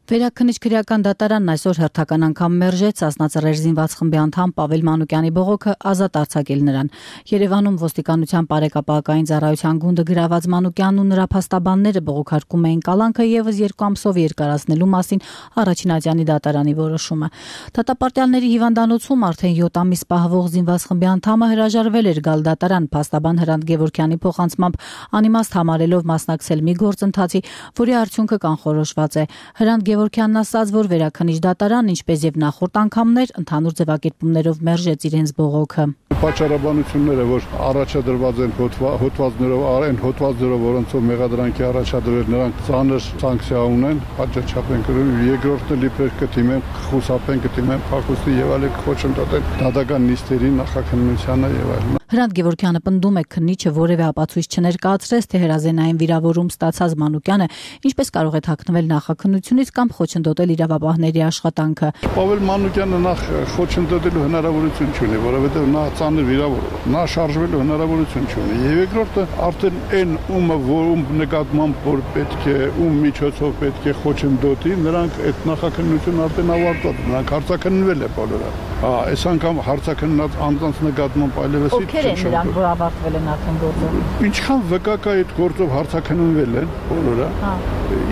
Վերաքննիչ քրեական դատարանն այսօր հերթական անգամ մերժեց Սասնա Ծռեր զինված խմբի անդամ Պավել Մանուկյանի բողոքը ազատ արձակել նրան։ Երևանում ոստիկանության բարեկապահական ծառայության գունդը գրաված Մանուկյանն ու նրա փաստաբանները բողոքարկում էին կալանքը եւս երկու ամսով երկարացնելու մասին առաջին ատյանի դատարանի որոշումը։ Դատապարտյալների հիվանդանոցում արդեն յոթ ամիս պահվող զինված խմբի անդամը հրաժարվել էր գալ դատարան փաստաբան Հրանտ Գևորգյանի փոխանցմամբ անիմաստ համարելով մասնակցել մի գործընթացի, որի արդյունքը կանխորոշված է։ Հրանտ Գևորգյանն ասաց, որ վերաքննիչ դատարան, ինչպես եւ նախորդ անգամներ, ընդհանուր ձևակերպումներով մերժեց իրենց բողոքը։ Պատճառաբանությունները, որ առաջադրված են հոդվածներով, այն հոդվածներով, որոնցով մեղադրանքի առաջադրել, նրանք ծանր սանկցիա ունեն, պատժաչափ են կրում, երկրորդը լիբեր կդիմեն, խուսափեն կդիմեն փակուստի եւ այլ խոչընդոտեն դատական նիստերի նախաքննությանը եւ այլն։ Հրանտ Գևորգյանը պնդում է քննիչը որևէ ապացույց չներկայացրեց, թե հրազենային վիրավորում ստացած Մանուկյանը ինչպես կարող է թաքնվել նախաքննությունից կամ խոչընդոտել իրավապահների աշխատանքը։ Պավել Մանուկյանը նախ խոչընդոտելու հնարավորություն չունի, որովհետեւ նա ծանր վիրավոր է։ Նա շարժվելու հնարավորություն չունի։ Եվ երկրորդը արդեն այն ումը, որում նկատմամբ որ պետք է ում միջոցով պետք է խոչընդոտի, նրանք այդ նախաքննությունը արդեն ավարտված, նրանք հարցաքննվել է բոլորը։ Հա, այս անգամ հարցաքննած անձանց նկատմամբ այլևս Ովքեր են նրանք, որ ավարտվել են արդեն գործով։ Ինչքան վկա կա այդ գործով հարցաքննվել են բոլորը։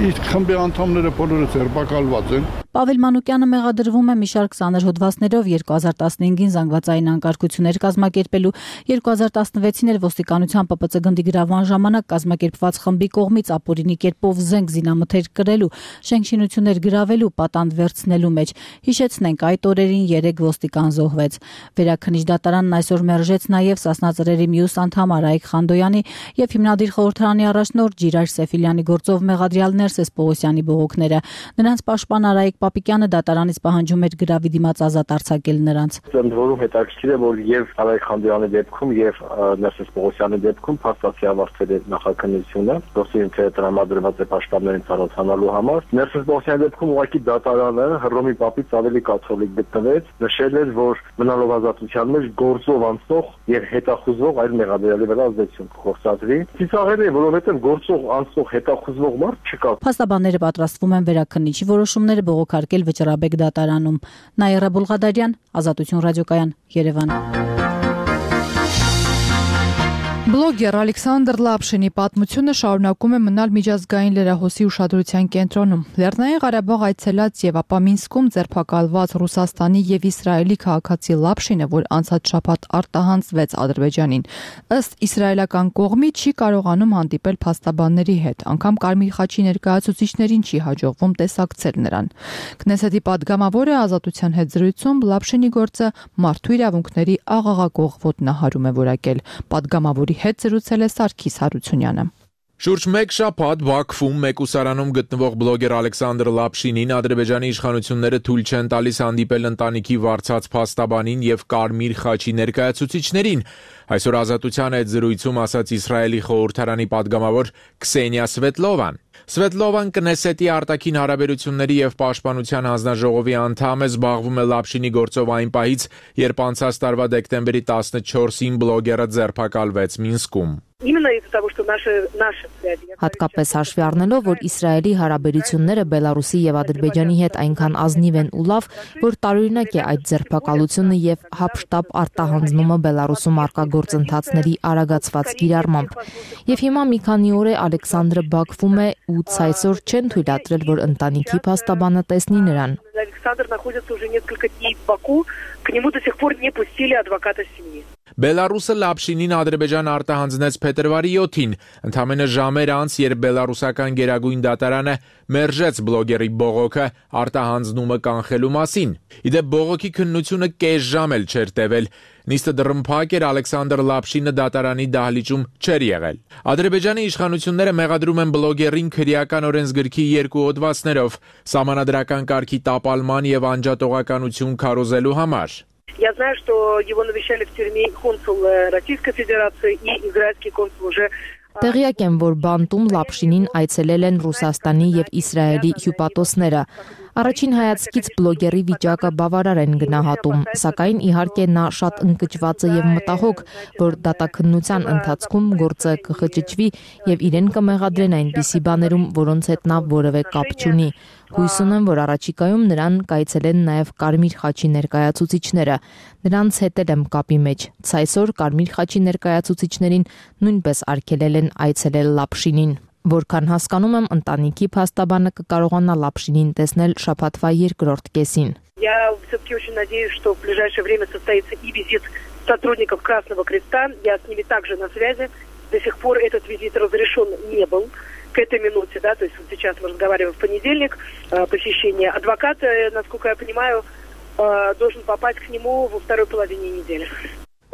Իսկ խմբի անդամները բոլորը ձերբակալված են։ Պավել Մանուկյանը մեղադրվում է մի շարք ծանր հոդվածներով երկու հազար տասնհինգին զանգվածային անկարգություններ կազմակերպելու, երկու հազար տասնվեցին էլ ոստիկանության Պ Պ Ց գնդի գրավման ժամանակ կազմակերպված խմբի կողմից ապօրինի կերպով զենք զինամթեր կրելու, շենքշինություններ գրավելու, պատանդ վերցնելու մեջ։ Հիշեցնենք, այդ օրերին երեք ոստիկան զոհվեց։ Վերաքննիչ դատարանն այսօր մերժեց նաև Սասնա ծռերի մյուս անդամ Արայիկ Խանդոյանի եւ հիմնադիր խորհրդարանի առաջնորդ Ժիրայր Սեֆիլյանի գործով մեղադրյալ Ներսես Պողոսյանի բողոքները։ Նրանց պաշտպան Արայիկ Պապիկյանը դատարանից պահանջում էր գրավի դիմաց ազատ արձակել նրանց։ Ընդ որում հետաքրքիր է, որ եւ Արայիկ Խանդոյանի դեպքում եւ Ներսես Պողոսյանի դեպքում փաստացի ավարտվել է նախաքննությունը, դոստին թե տրամադրված է պաշտպաններին ծանոթանալու համար։ Ներսես Պողոսյանի դեպքում ուղղակի դատարանը Հռոմի Պապից ավելի կաթոլիկ գտնվեց, նշել էր, որ մնալով ազատության մեջ գործով անցնող եւ հետախուզող այլ մեղադրյալի վրա ազդեցություն կգործադրի։ Ծիծաղել է, որովհետեւ գործող անցնող հետախուզող մարդ չկա։ Փաստաբանները պատրաստվում են վերաքննիչի որոշումները բողոքարկել Վճռաբեկ դատարանում։ Նաիրա Բուլղադարյան, Ազատություն ռադիոկայան, Երևան։ Բլոգեր Ալեքսանդր Լապշինի պատմությունը շարունակում է մնալ միջազգային լրահոսի ուշադրության կենտրոնում։ Լեռնային Ղարաբաղ այցելած եւ ապա Մինսկում ձերբակալված Ռուսաստանի եւ Իսրայելի քաղաքացի Լապշինը, որ անցած շաբաթ արտահանձվեց Ադրբեջանին, ըստ իսրայելական կողմի չի կարողանում հանդիպել փաստաբանների հետ, անգամ Կարմիր խաչի ներկայացուցիչներին չի հաջողվում տեսակցել նրան։ Քնեսետի падգամավորը Ազատության հետ զրույցում Լապշինի գործը մարդու իրավունքների աղաղակող ոտնահարում է որակել։ Падգամավորի հետ զրուցել է Սարգիս Հարությունյանը։ Շուրջ մեկ շաբաթ Բաքվում մեկուսարանում գտնվող բլոգեր Ալեքսանդր Լապշինին Ադրբեջանի իշխանությունները թույլ չեն տալիս հանդիպել ընտանիքի վարձած փաստաբանին եւ Կարմիր խաչի ներկայացուցիչներին։ Այսօր Ազատության հետ զրույցում ասաց Իսրայելի խորհրդարանի падգամավոր Քսենիա Սվետլովան։ Սվետլովան Կնեսետի արտաքին հարաբերությունների եւ պաշտպանության հանձնաժողովի անդամ է, զբաղվում է Լապշինի գործով այն պահից, երբ անցած տարվա դեկտեմբերի տասնչորսին բլոգերը ձերբակալվեց Մինսկում։ Հատկապես հաշվի առնելով, որ Իսրայելի հարաբերությունները Բելարուսի եւ Ադրբեջանի հետ այնքան ազնիվ են ու լավ, որ տարօրինակ է այդ ձերբակալությունը եւ հապշտապ արտահանձնումը Բելարուսում արկա գործընթացների արագացված կիրառմամբ։ Եվ հիմա մի քանի օր է Ալեքսանդրը Բաքվում է ու ցայսօր չեն թույլատրել, որ ընտանիքի փաստաբանը տեսնի նրան։ Александр находится уже несколько дней в Баку, к нему до сих пор не пустили адвоката семьи. Բելարուսը Լապշինին Ադրբեջան արտահանձնեց փետրվարի յոթին, ընդամենը ժամեր անց, երբ բելարուսական գերագույն դատարանը մերժեց բլոգերի բողոքը արտահանձնումը կանխելու մասին։ Իդեպ բողոքի քննությունը կես ժամ էլ չէր տևել։ Նիստը դռնփակ էր, Ալեքսանդր Լապշինը դատարանի դահլիճում չէր եղել։ Ադրբեջանի իշխանությունները մեղադրում են բլոգերին քրեական օրենսգրքի երկու հոդվածներով՝ սահմանադրական կարգի տապալման եւ անջատողականություն քարոզելու համար։ Я знаю, что его навещали в тюрьме консул Российской Федерации и израильский консул уже. Տեղյակ եմ, որ Բանտում Լապշինին այցելել են Ռուսաստանի եւ Իսրայելի հյուպատոսները։ Առաջին հայացքից բլոգերի վիճակը բավարար են գնահատում, սակայն իհարկե նա շատ ընկճված է եւ մտահոգ, որ դատաքննության ընթացքում գործը կխճճվի եւ իրեն կմեղադրեն այնպիսի բաներում, որոնց հետ նա որևէ կապ չունի։ Հույս ունեմ, որ առաջիկայում նրան կայցելեն նաեւ Կարմիր խաչի ներկայացուցիչները։ Նրանց հետ եմ կապի մեջ։ Ցայսօր Կարմիր խաչի ներկայացուցիչներին նույնպես արգելել են այցելել Լապշինին։ Որքան հասկանում եմ, ընտանիքի փաստաբանը կկարողանա Լապշինին տեսնել շաբաթվա երկրորդ կեսին։ Я все-таки очень надеюсь, что в ближайшее время состоится и визит сотрудников Красного Креста. Я с ними также на связи. До сих пор этот визит разрешен не был к этой минуте, да, то есть вот сейчас мы разговариваем в понедельник, посещение адвоката, насколько я понимаю, должен попасть к нему во второй половине недели.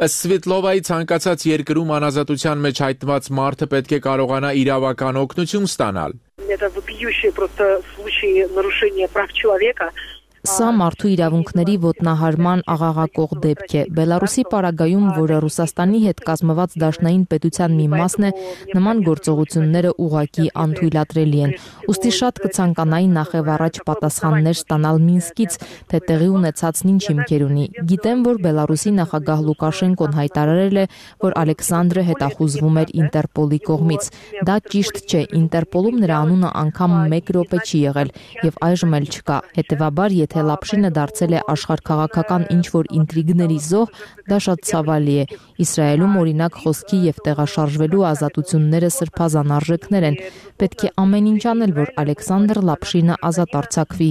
Ըստ Սվետլովայի ցանկացած երկրում անազատության մեջ հայտնված մարդը պետք է կարողանա իրավական օգնություն ստանալ։ Это вопиющие просто случаи нарушения прав человека. Սա մարդու իրավունքների ոտնահարման աղաղակող դեպք է։ Բելարուսի պարագայում, որը Ռուսաստանի հետ կազմված դաշնային պետության մի մասն է, նման գործողությունները ուղղակի անթույլատրելի են։ Ուստի շատ կցանկանայի նախև առաջ պատասխաններ ստանալ Մինսկից, թե տեղի ունեցածն ինչ հիմքեր ունի։ Գիտեմ, որ Բելարուսի նախագահ Լուկաշենկոն հայտարարել է, որ Ալեքսանդրը հետախուզվում էր Ինտերպոլի կողմից։ Դա ճիշտ չէ, Ինտերպոլում նրա անունը անգամ մեկ րոպե չի եղել եւ այժմ էլ չկա։ Հետևաբար, եթե Լապշինը դարձել է աշխարհքաղաքական ինչ-որ ինտրիգների զոհ, դա շատ ցավալի է։ Իսրայելում օրինակ խոսքի եւ տեղաշարժվելու ազատությունները սրբազան արժեքներ են։ Պետք է ամեն ինչ անել, որ Ալեքսանդր Լապշինը ազատ արձակվի,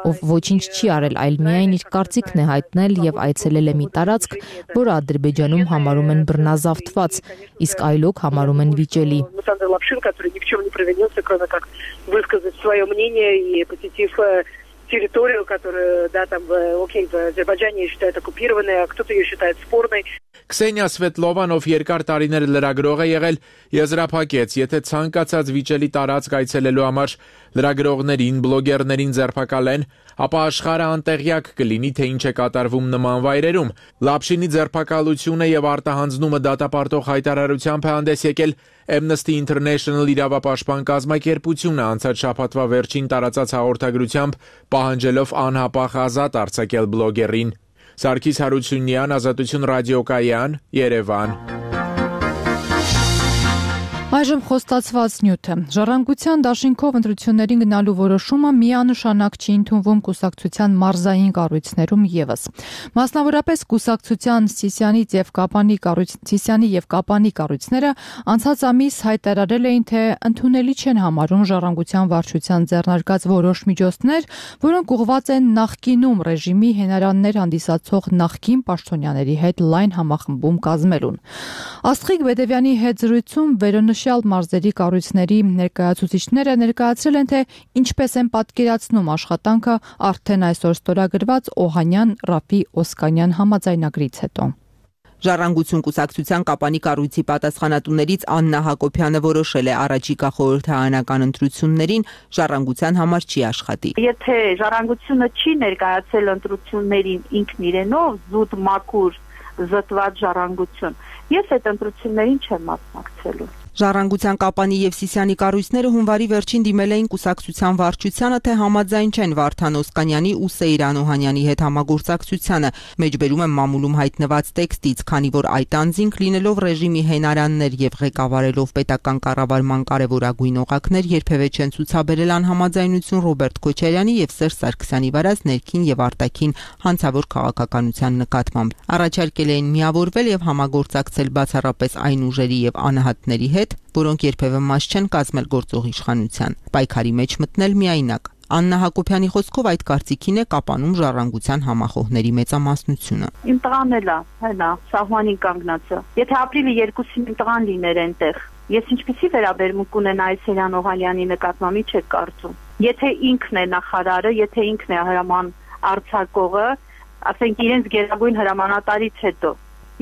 ով ոչինչ չի արել, այլ միայն իր կարծիքն է հայտնել եւ այցելել է մի տարածք, որը Ադրբեջանում համարում են բռնազավթված, իսկ այլոք համարում են վիճելի։ Высказать свое мнение и посетив территорию, которую, да, там, окей, в Азербайджане считают оккупированной, а кто-то ее считает спорной. Քսենիա Սվետլովան, ով երկար տարիներ լրագրող է եղել, եզրափակեց, եթե ցանկացած վիճելի տարածք այցելելու համար լրագրողներին, բլոգերներին ձերբակալեն, ապա աշխարհը անտեղյակ կլինի, թե ինչ է կատարվում նման վայրերում։ Լապշինի ձերբակալությունը եւ արտահանձնումը դատապարտող հայտարարությամբ է հանդես եկել Amnesty International իրավապաշտպան կազմակերպությունը անցած շաբաթվա վերջին տարածած հաղորդագրությամբ պահանջելով անհապաղ ազատ արձակել բլոգերին։ Սարգիս Հարությունյան, Ազատություն ռադիոկայան, Երևան։ Այժմ խոստացված նյութը։ Ժառանգության դաշինքով ընտրություններին գնալու որոշումը միանշանակ չի ընդունվում կուսակցության մարզային կառույցներում ևս։ Մասնավորապես կուսակցության Սիսիանի եւ Կապանի կառույց Սիսիանի եւ Կապանի կառույցները անցած ամիս հայտարարել էին, թե ընդունելի չեն համարում ժառանգության վարչության ձեռնարկած որոշ միջոցներ, որոնք ուղղված են նախկինում ռեժիմի հենարաններ հանդիսացող նախկին պաշտոնյաների հետ լայն համախմբում կազմելուն։ Աստղիկ Բեդևյանի հետ զրույցում վերոնշյալ մարզերի կառույցների ներկայացուցիչները ներկայացրել են, թե ինչպես են պատկերացնում աշխատանքը արդեն այսօր ստորագրված Օհանյան Ռաֆի Օսկանյան համաձայնագրից հետո։ Ժառանգություն կուսակցության Կապանի կառույցի պատասխանատուներից Աննա Հակոբյանը որոշել է առաջիկա խորհրդարանական ընտրություններին ժառանգության համար չի աշխատի։ Եթե ժառանգությունը չի ներկայացել ընտրություններին ինքն իրենով զուտ մաքուր զտված ժառանգություն, ես այդ ընտրություններին չեմ մասնակցելու։ Ժառանգության Կապանի եւ Սիսիանի կառույցները հունվարի վերջին դիմել էին կուսակցության վարչությանը, թե համաձայն չեն Վարդան Օսկանյանի ու Սեյրան Օհանյանի հետ համագործակցությանը։ Մեջբերում եմ մամուլում հայտնված տեքստից, քանի որ այդ անձինք լինելով ռեժիմի հենարաններ եւ ղեկավարելով պետական կառավարման կարևորագույն օղակներ, երբևէ չեն ցուցաբերել անհամաձայնություն Ռոբերտ Քոչարյանի եւ Սերժ Սարգսյանի վարած ներքին եւ արտաքին հանցավոր քաղաքականության նկատմամբ։ Առաջարկել էին միավորվել եւ համագործակցել բացառապես այն ուժերի եւ անհատների հետ, որոնք երբևէ մաս չեն կազմել գործող իշխանության, պայքարի մեջ մտնել միայնակ։ Աննա Հակոբյանի խոսքով այդ կարծիքին է Կապանում ժառանգության համախոհների մեծամասնությունը։ Իմ տղան էլ է, հենա, սահմանին կանգնածը։ Եթե ապրիլի երկուսին իմ տղան լիներ այնտեղ, ես ինչպեսի վերաբերմունք կունենայի Սերյան Օհանյանի նկատմամբ, ինչ եք կարծում։ Եթե ինքն է նախարարը, եթե ինքն է հրաման արձակողը, ասենք իրենց գերագույն հրամանատարից հետո,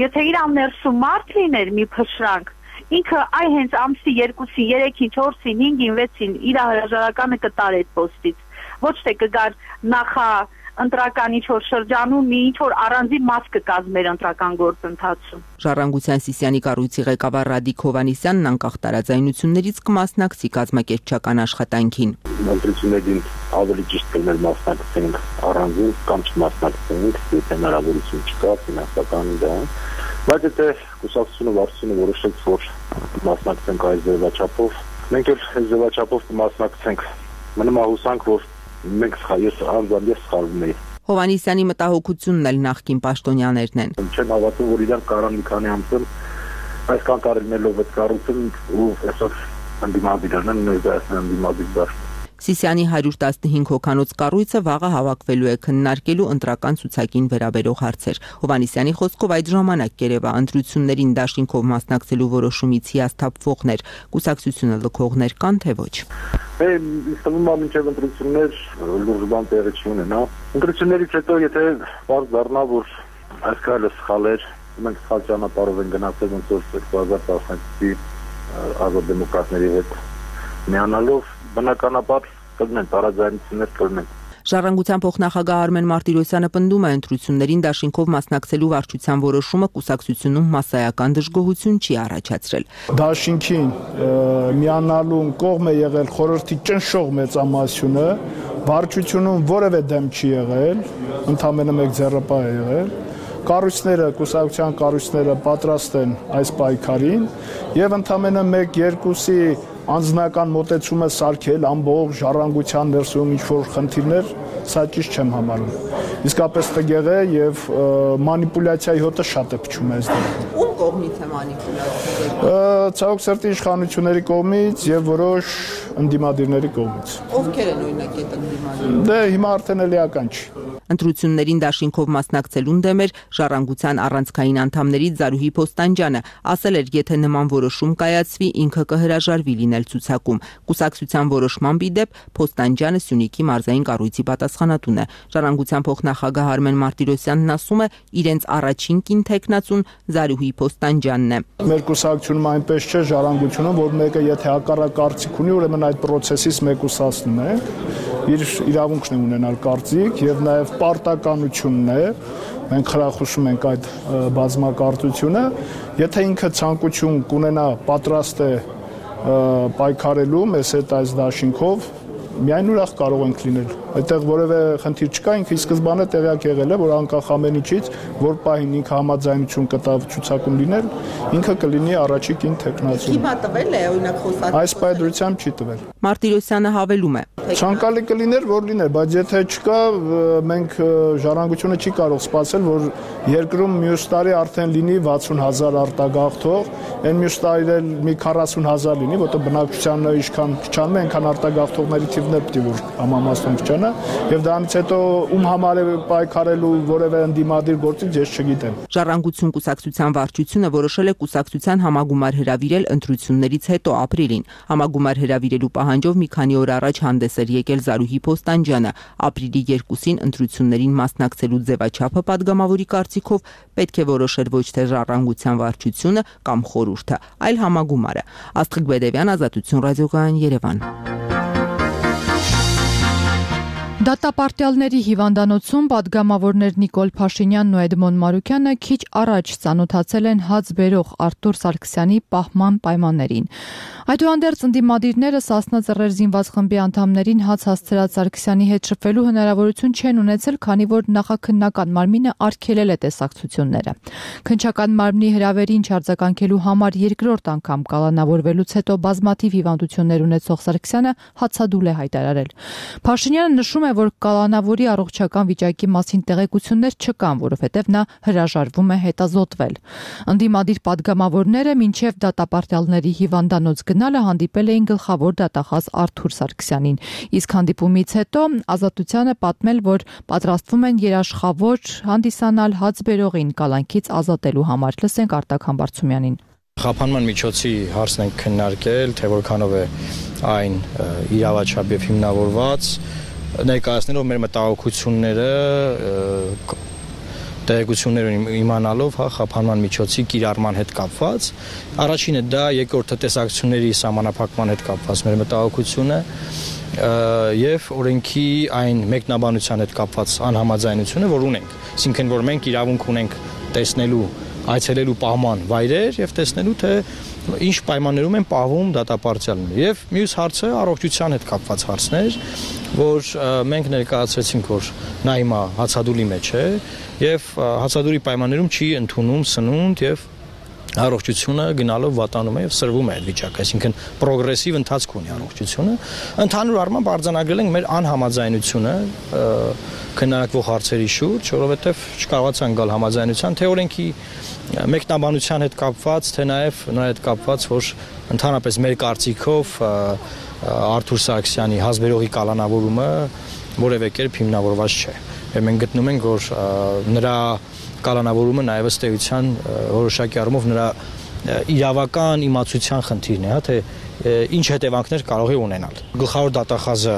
եթե իր ներսում մարդ լիներ մի փշրանք, ինքը այ հենց ամսի երկուսին, երեքին, չորսին, հինգին, վեցին իր հրաժարականը կտար այդ պոստից։ Ոչ թե կգար նախա ընտրական ինչ-որ շրջանում մի ինչ-որ առանձին մաս կկազմեր ընտրական գործընթացում։ Ժառանգության Սիսիանի կառույցի ղեկավար Ռադիկ Հովանիսյանն անկախ տարաձայնություններից կմասնակցի կազմակերպչական աշխատանքին։ Ընտրություններին ավելի ճիշտ կլիներ մասնակցենք առանձին կամ չմասնակցենք, եթե հնարավորություն չկա ֆինանսական դա։ Բայց եթե կուսակցությունը վարչությունը որոշեց, որ մասնակցենք այս ձևաչափով, մենք էլ այս ձևաչափով կմասնակցենք։ Մնում է հուսանք, որ մենք ես անձամբ սխալվում էի։ Հովանիսյանի մտահոգությունն էլ նախկին պաշտոնյաներն են։ Չեմ հավատում, որ իրանք կարան մի քանի ամսում այսքան տարիներով այդ կառույցն ու այսօր ընդդիմադիրն են ներկայացնել ընդդիմադիր դաշտ։ Սիսիանի հարյուր տասնհինգ հոգանոց կառույցը վաղը հավաքվելու է քննարկելու ընտրական ցուցակին վերաբերող հարցեր։ Հովանիսյանի խոսքով այդ ժամանակ Երևա ընտրություններին դաշինքով մասնակցելու որոշումից հիասթափվողներ, կուսակցությունը լքողներ կան թե ոչ։ Իսկ նույնիսկ մինչև ընտրություններ լուրջ բան տեղի չունենա։ Ընտրություններից հետո եթե բարձ դառնա, որ այս քայլը սխալ էր, մենք սխալ ճանապարհով են գնացել, ոնց որ երկու հազար տասնյոթի ազատ դեմոկրատների հետ միանալով բնականաբար կլինեն տարաձայնություններ կլինեն։ Ժառանգության փոխնախագահ Արմեն Մարտիրոսյանը պնդում է ընտրություններին դաշինքով մասնակցելու վարչության որոշումը կուսակցությունում մասսայական դժգոհություն չի առաջացրել։ Դաշինքին միանալու կողմ է եղել խորհրդի ճնշող մեծամասնությունը, վարչությունում որևէ դեմ չի եղել, ընդամենը մեկ ձեռնպահ է եղել։ Կառույցները, կուսակցության կառույցները պատրաստ են այս պայքարին եւ ընդամենը մեկ երկուսի անձնական մոտեցումը սարքել ամբողջ ժառանգության ներսում ինչ-որ խնդիրներ, սա ճիշտ չեմ համարում։ Իսկապես տգեղ է եւ մանիպուլյացիայի հոտը շատ է փչում այս դեպքում։ Ում կողմից է մանիպուլյացիա։ Ցավոք սրտի իշխանությունների կողմից եւ որոշ ընդդիմադիրների կողմից։ Ովքեր են օրինակ այդ ընդդիմադիրները։ Դե հիմա արդեն էլիական չի։ Ընտրություններին դաշինքով մասնակցելուն դեմ էր Ժառանգության առանցքային անդամներից Զարուհի Փոստանջյանը, ասել էր, եթե նման որոշում կայացվի, ինքը կհրաժարվի լինել ցուցակում։ Կուսակցության որոշման դեպ Փոստանջյանը Սյունիքի մարզային կառույցի պատասխանատուն է։ Ժառանգության փոխնախագահ Արմեն Մարտիրոսյանն ասում է, իրենց առաջին կին թեկնածուն Զարուհի Փոստանջյանն է։ Մեր կուսակցությունում այնպես չէ ժառանգությունում, որ մեկը եթե հակառակ կարծիք ունի, ուրեմն այդ process-ից մեկուսացնում է։ Իր իրավունքն է ունենալ կարծիք եւ նաեւ պարտականությունն է, մենք խրախուսում ենք այդ բազմակարծությունը, եթե ինքը ցանկություն կունենա պատրաստ է պայքարելու մեզ հետ այս դաշինքով, միայն ուրախ կարող ենք լինել։ Այդտեղ որևէ խնդիր չկա, ինքը ի սկզբանե տեղյակ եղել է, որ անկախ ամեն ինչից, որ պահին ինքը համաձայնություն կտավ ցուցակում լինել, ինքը կլինի առաջի կին թեկնածու։ Հիմա տվել է օրինակ խոսած։ Այս պայդրությամբ չի տվել։ Մարտիրոսյանը հավելում է. Ցանկալի կլիներ, որ լիներ, բայց եթե չկա, մենք ժառանգությունը չի կարող սպասել, որ երկրում մյուս տարի արդեն լինի վաթսուն հազար արտագաղթող, այն մյուս տարի էլ մի քառասուն հազար լինի, որտեղ բնակչությանը ինչքան քչանում է, այնքան արտագաղթողների թիվն է պետք է որ համամասն քչանա, եւ դրանից հետո ում համար է պայքարելու որևէ ընդդիմադիր գործից ես չգիտեմ։ Ժառանգություն կուսակցության վարչությունը որոշել է կուսակցության համագումար հրավիրել ընտրություններից հետո ապրիլին։ Համագումար հրավիրելու պահանջով մի քանի օր առաջ հանդես էր եկել Զարուհի Փոստանջյանը։ Ապրիլի երկուսին ընտրություններին մասնակցելու ձևաչափը падգամավորի կարծիքով պետք է որոշեր ոչ թե ժառանգության վարչությունը կամ խորհուրդը, այլ համագումարը։ Աստղիկ Բեդևյան, Ազատություն ռադիոկայան, Երևան։ Դատապարտյալների հիվանդանոցում падգամավորներ Նիկոլ Փաշինյանն ու Էդմոն Մարուկյանը քիչ առաջ ծանոթացել են հաց բերող Արտուր Սարգսյանի պահման պայմաններին։ Այդուհանդերձ ընդդիմադիրները Սասնա Ծռեր զինված խմբի անդամներին հաց հասցրած Սարգսյանի հետ շփվելու հնարավորություն չեն ունեցել, քանի որ նախաքննական մարմինը արգելել է տեսակցությունները։ Քննչական մարմնի հրավերին չարձագանքելու համար երկրորդ անգամ կալանավորվելուց հետո բազմաթիվ հիվանդություններ ունեցող Սարգսյանը հացադուլ է հայտարարել։ Փաշինյանը նշում է, որ կալանավորի առողջական վիճակի մասին տեղեկություններ չկան, որովհետև նա հրաժարվում է հետազոտվել։ Ընդդիմադիր падգամավորները մինչև դատապարտյալների հիվանդանոց գնալը հանդիպել էին գլխավոր դատախազ Արթուր Սարգսյանին, իսկ հանդիպումից հետո Ազատությանը պատմել, որ պատրաստվում են երաշխավոր հանդիսանալ հաց բերողին կալանքից ազատելու համար։ Լսենք Արտակ Համբարձումյանին։ Խափանման միջոցի հարցն ենք քննարկել, թե որքանով է այն իրավաչափ եւ հիմնավորված, ներկայացնելով մեր մտահոգությունները, տեղեկություններ իմանալով, հա, խափանման միջոցի կիրառման հետ կապված, առաջինը դա, երկրորդը տեսակցությունների սահմանափակման հետ կապված մեր մտահոգությունը եւ օրենքի այն մեկնաբանության հետ կապված անհամաձայնությունը, որ ունենք, այսինքն որ մենք իրավունք ունենք տեսնելու, այցելելու պահման վայրեր եւ տեսնելու թե ինչ պայմաններում են պահվում դատապարտյալները։ Եվ մյուս հարցը առողջության հետ կապված հարցներ, որ մենք ներկայացրեցինք, որ նա հիմա հացադուլի մեջ է եւ հացադուլի պայմաններում չի ընդունում սնունդ եւ առողջությունը գնալով վատանում է եւ սրվում է այդ վիճակը, այսինքն պրոգրեսիվ ընթացք ունի առողջությունը։ Ընդհանուր առմամբ արձանագրել ենք մեր անհամաձայնությունը քննարկվող հարցերի շուրջ, որովհետեւ չկարողացան գալ համաձայնության թե օրենքի մեկնաբանության հետ կապված, թե նաեւ նրա հետ կապված, որ ընդհանրապես մեր կարծիքով Արթուր Սարգսյանի հազբերողի կալանավորումը որևէ կերպ հիմնավորված չէ։ Եվ մենք գտնում ենք, որ նրա կալանավորումը նաև ըստ էության որոշակի առումով նրա իրավական իմացության խնդիրն է, հա, թե ինչ հետևանքներ կարող է ունենալ։ Գլխավոր դատախազը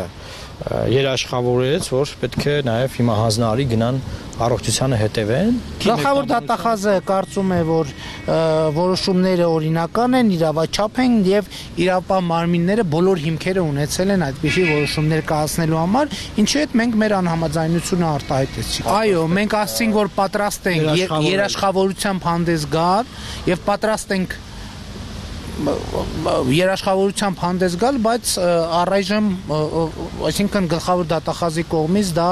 երաշխավորեց, որ պետք է նաև հիմա հանձնարարի գնան առողջությանը հետևեն։ Գլխավոր դատախազը կարծում է, որ որոշումները օրինական են, իրավաչափ են եւ իրավապահ մարմինները բոլոր հիմքերը ունեցել են այդպիսի որոշումներ կայացնելու համար, ինչու հետ մենք մեր անհամաձայնությունը արտահայտեցինք։ Այո, մենք ասացինք, որ պատրաստ ենք երաշխավորությամբ հանդես գալ եւ պատրաստ ենք երաշխավորությամբ հանդես գալ, բայց առայժմ, այսինքն գլխավոր դատախազի կողմից դա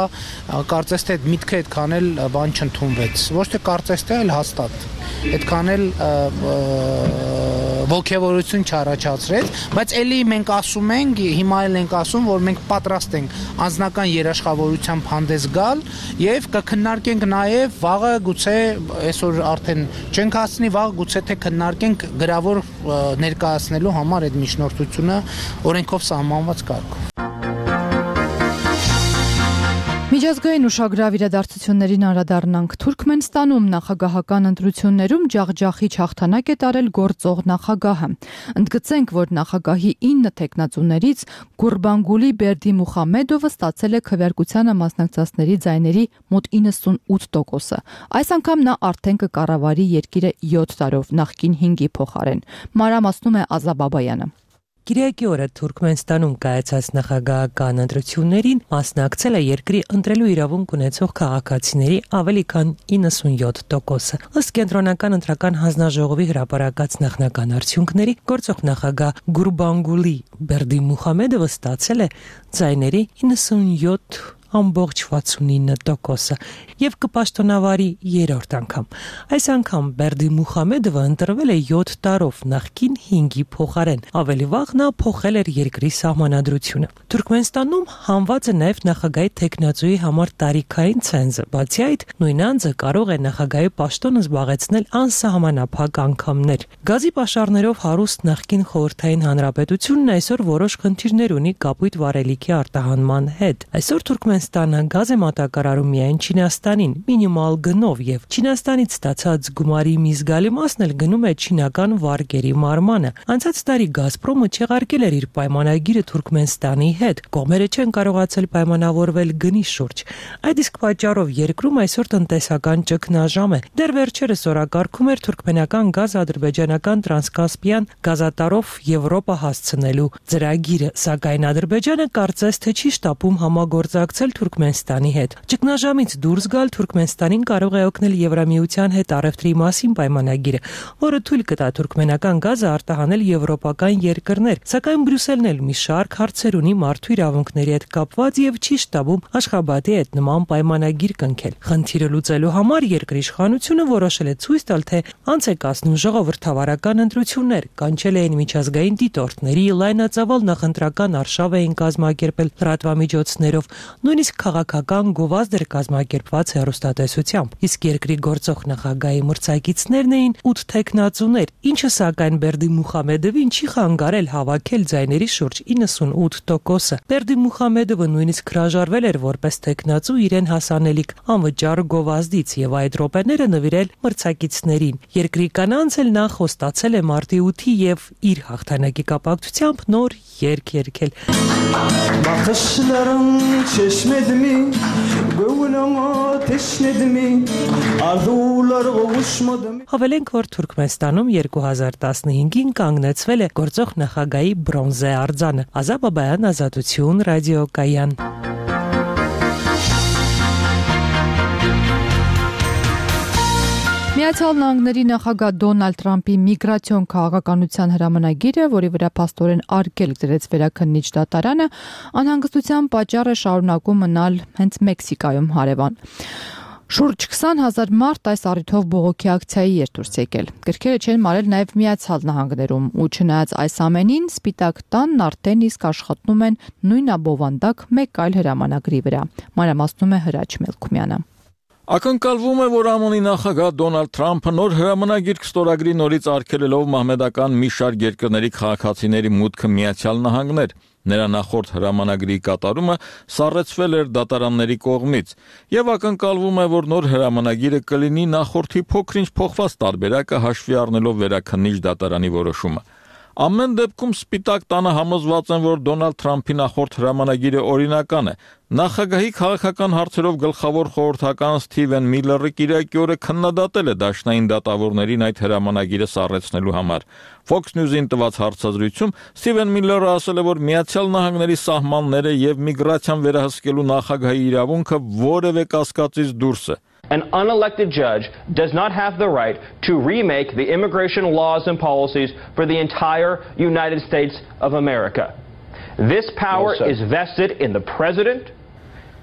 կարծես թե միտքը այդքան էլ բան չընդունվեց։ Ոչ թե կարծես թե, այլ հաստատ։ Այդքան էլ ողջավորություն չառաջացրեց, բայց ելի մենք ասում ենք, հիմա էլ ենք ասում, որ մենք պատրաստ ենք անձնական երաշխավորությամբ հանդես գալ եւ կքննարկենք նաեւ վաղը գուցե այսօր արդեն չենք հասցնի, վաղը գուցե թե քննարկենք գրավոր ներկայացնելու համար այդ միջնորդությունը օրենքով սահմանված կարգով։ Միջազգային ուշագրավ իրադարձություններին անդրադառնանք։ Թուրքմենստանում նախագահական ընտրություններում ջախջախիչ հաղթանակ է տարել գործող նախագահը։ Ընդգծենք, որ նախագահի ինը թեկնածուներից Գուրբանգուլի Բերդիմուխամեդովը ստացել է քվեարկությանը մասնակցածների ձայների մոտ իննսունութ տոկոսը։ Այս անգամ նա արդեն կկառավարի երկիրը յոթ տարով, նախկին հինգի փոխարեն։ Մանրամասնում է Ազա Բաբայանը։ Կիրակի օրը Թուրքմենստանում կայացած նախագահական ընտրություններին մասնակցել է երկրի ընտրելու իրավունք ունեցող քաղաքացիների ավելի քան իննսունյոթ տոկոսը։ Ըստ կենտրոնական ընտրական հանձնաժողովի հրապարակած նախնական արդյունքների, գործող նախագահ Գուրբանգուլի Բերդիմուխամեդովը ստացել է ձայների իննսունյոթ ամբողջ վաթսունինը տոկոսը եւ կպաշտոնավարի երրորդ անգամ։ Այս անգամ Բերդիմուխամեդովը ընտրվել է յոթ տարով, նախկին հինգի փոխարեն։ Ավելի վաղ նա փոխել էր երկրի սահմանադրությունը։ Թուրքմենստանում հանված է նաեւ նախագահի թեկնածուի համար տարիքային ցենզը։ Բացի այդ, նույն անձը կարող է նախագահի պաշտոնը զբաղեցնել անսահմանափակ անգամներ։ Գազի պաշարներով հարուստ նախկին խորհրդային հանրապետությունն այսօր որոշ խնդիրներ ունի կապույտ վառելիքի արտահանման հետ։ Այսօր Թուրքմենստանը գազ է մատակարարում միայն Չինաստանին մինիմալ գնով եւ Չինաստանից ստացած գումարի մի զգալի մասն էլ գնում է չինական վարկերի մարմանը։ Անցած տարի Գազպրոմը չեղարկել էր իր պայմանագիրը Թուրքմենստանի հետ։ Կողմերը չեն կարողացել պայմանավորվել գնի շուրջ։ Այդ իսկ պատճառով երկրում այսօր տնտեսական ճգնաժամ է։ Դեռ վերջերս օրակարգում էր թուրքմենական գազ ադրբեջանական տրանսկասպիան գազատարով Եվրոպա հասցնելու ծրագիրը, սակայն Ադրբեջանը կարծես թե չի շտապում համագործակցել Թուրքմենստանի հետ։ Ճգնաժամից դուրս գալ Թուրքմենստանին կարող է օգնել Եվրամիության հետ առևտրի մասին պայմանագիրը, որը թույլ կտա թուրքմենական գազը արտահանել եվրոպական երկրներ, սակայն Բրյուսելն էլ մի շարք հարցեր ունի մարդու իրավունքների հետ կապված եւ չի շտաբում Աշխաբադի հետ նման պայմանագիր կնքել։ Խնդիրը լուծելու համար երկրի իշխանությունը որոշել է ցույց տալ, թե անց է կացնում ժողովրդավարական ընտրություններ, կանչել էին միջազգային դիտորդների, լայնածավալ նախընտրական արշավ էին կազմակերպել լրատվամիջոցներով, նույնիսկ քաղաքական գովազդ էր կազմակերպված հեռուստատեսությամբ։ Իսկ երկրի գործող նախագահի մրցակիցներն էին ութ թեկնածուներ, ինչը սակայն Բերդիմուխամեդովին չի խանգարել հավաքել ձայների շուրջ իննսունութ տոկոսը։ Բերդիմուխամեդովը նույնիսկ հրաժարվել էր որպես թեկնածու իրեն հասանելիք անվճար գովազդից եւ այդ րոպեները նվիրել մրցակիցներին։ Երկրի կանանց էլ նա խոստացել է մարտի ութի եւ իր հաղթանակի կապակցությամբ նոր երգ երգել։ Հավելենք, որ Թուրքմենստանում երկու հազար տասնհինգին կանգնեցվել է գործող նախագահի բրոնզե արձանը։ Ազա Բաբայան, Ազատություն, ռադիոկայան։ Միացյալ Նահանգների նախագահ Դոնալդ Թրամփի միգրացիոն քաղաքականության հրամանագիրը, որի վրա փաստորեն արգելք դրեց վերաքննիչ դատարանը, անհանգստության պատճառ է շարունակում մնալ հենց Մեքսիկայում հարևան։ Շուրջ քսան հազար մարդ այս առիթով բողոքի ակցիայի էր դուրս եկել։ Գրքերը չեն մարել նաև Միացյալ Նահանգներում, ու չնայած այս ամենին, Սպիտակ տանն արդեն իսկ աշխատում են նույն abովանդակ մեկ այլ հրամանագրի վրա։ Մանրամասնում է Հրաչ Մելքումյանը։ Ակնկալվում է, որ ԱՄՆ-ի նախագահ Դոնալդ Թրամփը նոր հրամանագիր կստորագրի նորից արգելելով մահմեդական մի շարք երկրների քաղաքացիների մուտքը Միացյալ Նահանգներ։ Նրա նախորդ հրամանագրի կատարումը սառեցվել էր դատարանների կողմից, եւ ակնկալվում է, որ նոր հրամանագիրը կլինի նախորդի փոքրինչ փոխված տարբերակը հաշվի առնելով վերաքննիչ դատարանի որոշումը։ Ամեն դեպքում Սպիտակ տանը համոզված են, որ Դոնալդ Թրամփի նախորդ հրամանագիրը օրինական է։ Նախագահի քաղաքական հարցերով գլխավոր խորհրդական Սթիվեն Միլլերը կիրակի օրը քննադատել է դաշնային դատավորներին այդ հրամանագիրը սառեցնելու համար։ Fox News-ին տված հարցազրույցում Սթիվեն Միլլերը ասել է, որ Միացյալ Նահանգների սահմանները եւ միգրացիան վերահսկելու նախագահի իրավունքը որևէ կասկածից դուրս է։ An unelected judge does not have the right to remake the immigration laws and policies for the entire United States of America. This power yes, is vested in the president.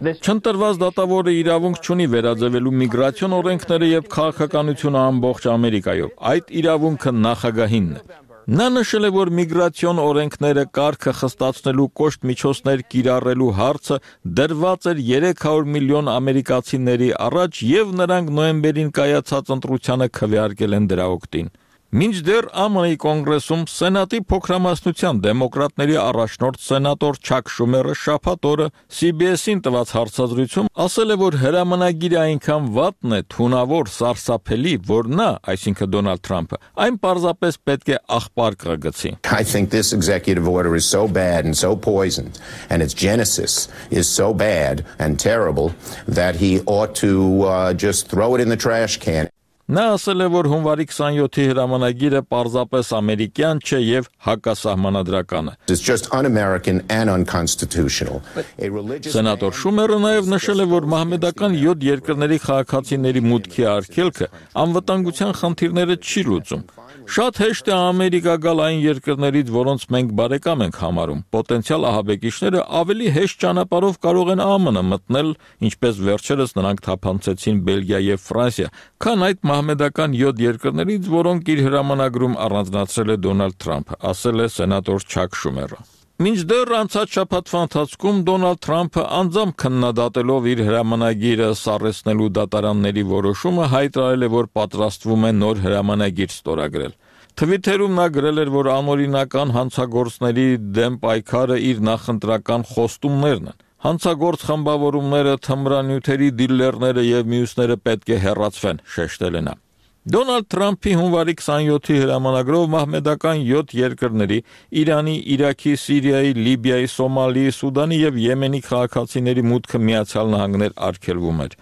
Չընտրված դատավորը իրավունք չունի վերաձևելու միգրացիոն օրենքները եւ քաղաքականությունը ամբողջ Ամերիկայով։ Այդ իրավունքը նախագահինն է։ Նա նշել է, որ միգրացիոն օրենքները կարգը խստացնելու կոշտ միջոցներ կիրառելու հարցը դրված էր երեք հարյուր միլիոն ամերիկացիների առաջ եւ նրանք նոյեմբերին կայացած ընտրությանը քվեարկել են դրա օգտին։ Մինչդեռ Է Մ Ի կոնգրեսում Սենատի փոքրամասնության դեմոկրատների առաջնորդ սենատոր Չակ Շումերը շաբաթ օրը C B S-ին տված հարցազրույցում ասել է, որ հրամանագիրը այնքան վատն է, թունավոր, սարսափելի, որ նա, այսինքն Դոնալդ Թրամփը, այն պարզապես պետք է աղբար կգցի։ I think this executive order is so bad and so poisoned and its genesis is so bad and terrible that he ought to uh, just throw it in the trash can. Նա ասել է, որ հունվարի քսանյոթի հրամանագիրը պարզապես ամերիկյան չէ եւ հակասահմանադրական է։ It's just un-American and unconstitutional. Սենատոր Շումերը նաև նշել է, որ մահմեդական յոթ երկրների քաղաքացիների մուտքի արգելքը անվտանգության խնդիրները չի լուծում։ Շատ հեշտ է Ամերիկա գալ այն երկրներից, որոնց մենք բարեկամ ենք համարում։ Պոտենցիալ ահաբեկիչները ավելի հեշտ ճանապարհով կարող են Է Մ Ն մտնել, ինչպես վերջերս նրանք թափանցեցին Բելգիա եւ Ֆրանսիա, քան այդ մահմեդական յոթ երկրներից, որոնք իր հրամանագրում առանձնացրել է Դոնալդ Թրամփը, ասել է սենատոր Չակ Շումերը։ Մինչդեռ անցած շաբաթվա ընթացքում Դոնալդ Թրամփը անձամբ քննադատելով իր հրամանագիրը սառեցնելու դատարանների որոշումը հայտարարել է, որ պատրաստվում է նոր հրամանագիր ստորագրել։ Թվիթերում նա գրել էր, որ անօրինական հանցագործների դեմ պայքարը իր նախընտրական խոստումներն են։ Հանցագործ խմբավորումները, թմրանյութերի դիլերները եւ մյուսները պետք է հեռացվեն, շեշտել է նա։ Դոնալդ Թրամփի հունվարի քսանյոթի հրամանագրով մահմեդական յոթ երկրների՝ Իրանի, Իրաքի, Սիրիայի, Լիբիայի, Սոմալիի, Սուդանի եւ Եմենի քաղաքացիների մուտքը Միացյալ Նահանգներ արգելվում էր։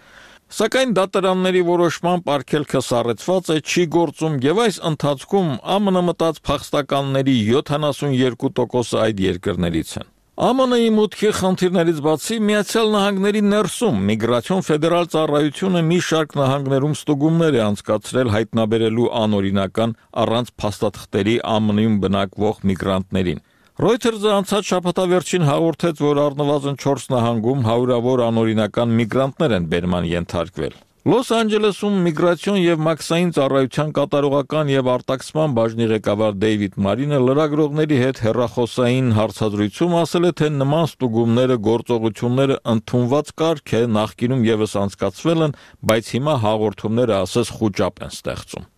Սակայն դատարանների որոշմամբ արգելքը սառեցված է, չի գործում եւ այս ընթացքում Է Մ Ն մտած փախստականների յոթանասունյոթ տոկոսը այդ երկրներից են։ Է Մ Ն-ի մուտքի խնդիրներից բացի Միացյալ Նահանգների ներսում միգրացիոն ֆեդերալ ծառայությունը մի շարք նահանգներում ստուգումներ է անցկացրել հայտնաբերելու անօրինական առանց փաստաթղթերի Է Մ Ն-ում բնակվող միգրանտներին։ Reuters-ը անցած շաբաթավերջին հաղորդեց, որ առնվազն չորս նահանգում հարյուրավոր անօրինական միգրանտներ են բերման ենթարկվել։ Լոս Անջելեսում միգրացիոն եւ մաքսային ծառայության կատարողական եւ արտաքսման բաժնի ղեկավար Դեյվիդ Մարինը լրագրողների հետ հեռախոսային հարցազրույցում ասել է, թե նման ստուգումները, գործողությունները ընդունված կարգ է, նախկինում եւս անցկացվել են, բայց հիմա հաղորդումները ասես խուճապ են ստեղծում։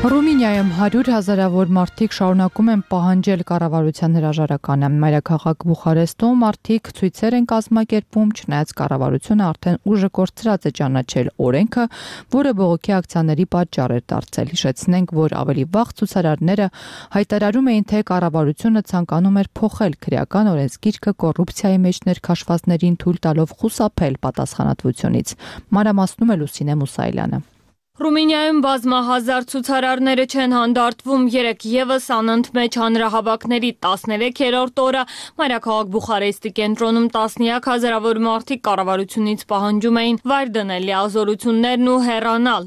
Ռումինիայում հարյուր հազարավոր մարդիկ շարունակում են պահանջել կառավարության հրաժարականը։ Մայրաքաղաք Բուխարեստում մարդիկ ցույցեր են կազմակերպում, չնայած կառավարությունը արդեն ուժը կորցրած է ճանաչել օրենքը, որը բողոքի ակցիաների պատճառ էր դարձել։ Հիշեցնենք, որ ավելի վաղ ցուցարարները հայտարարում էին, թե կառավարությունը ցանկանում էր փոխել քրեական օրենսգիրքը կոռուպցիայի մեջ ներքաշվածներին թույլ տալով խուսափել պատասխանատվությունից։ Մանրամասնում է Լուսինե Մուսայելյանը։ Ռումինիայում բազմահազար ցուցարարները չեն հանդարտվում երեք եւս անընդմեջ հանրահավաքների տասներեքերորդ օրը մայրաքաղաք Բուխարեստի կենտրոնում տասնյակ հազարավոր մարդիկ կառավարությունից պահանջում էին վայր դնել լիազորություններն ու հեռանալ։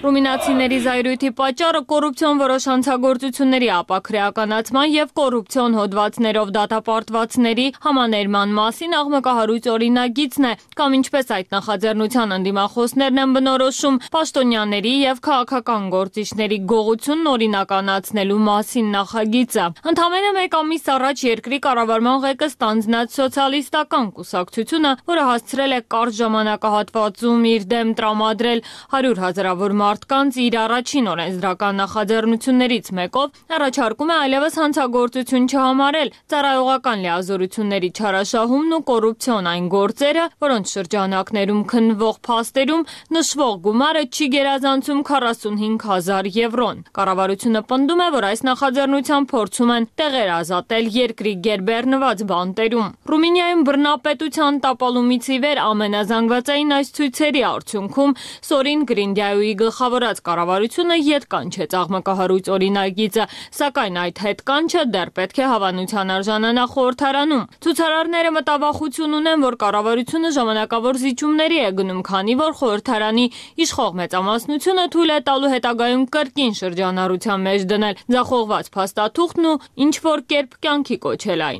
Ռումինացիների զայրույթի պատճառը կոռուպցիոն որոշ հանցագործությունների ապաքրեականացման եւ կոռուպցիոն հոդվածներով դատապարտվածների համաներման մասին աղմկահարույց օրինագիծն է, կամ ինչպես այդ նախաձեռնության ընդդիմախոսներն են բնորոշում, պաշտոնյաների եւ քաղաքական գործիչների գողությունն օրինականացնելու մասին նախագիծը։ Ընդամենը մեկ ամիս առաջ երկրի կառավարման ղեկը ստանձնած սոցիալիստական կուսակցությունը, որը հասցրել է կարճ ժամանակահատվածում իր դեմ տրամադրել հարյուր հազարավոր մարդկանց իր առաջին օրենսդրական նախաձեռնություններից մեկով, առաջարկում է այլևս հանցագործություն չհամարել ծառայողական լիազորությունների չարաշահումն ու կոռուպցիոն այն գործերը, որոնց շրջանակներում քննվող փաստերում նշվող գումարը չի գերազանցում քառասունհինգ հազար եվրոն։ Կառավարությունը պնդում է, որ այս նախաձեռնությամբ փորձում են տեղեր ազատել երկրի գերբեռնված բանտերում։ Ռումինիայում բռնապետության տապալումից ի վեր ամենազանգվածային այս ցույցերի արդյունքում Սորին Գրինդյայուի գլխավորած կառավարությունը ետ կանչեց աղմկահարույց օրինագիծը, սակայն այդ հետ կանչը դեռ պետք է հավանության արժանանա խորհրդարանում։ Ցուցարարները մտավախություն ունեն, որ կառավարությունը ժամանակավոր զիջումների է գնում, քանի որ խորհրդարանի իշխող մեծամասնությունը թույլ է տալու հետագայում կրկին շրջանառության մեջ դնել ձախողված փաստաթուղթն ու ինչ որ կերպ կյանքի կոչել այն։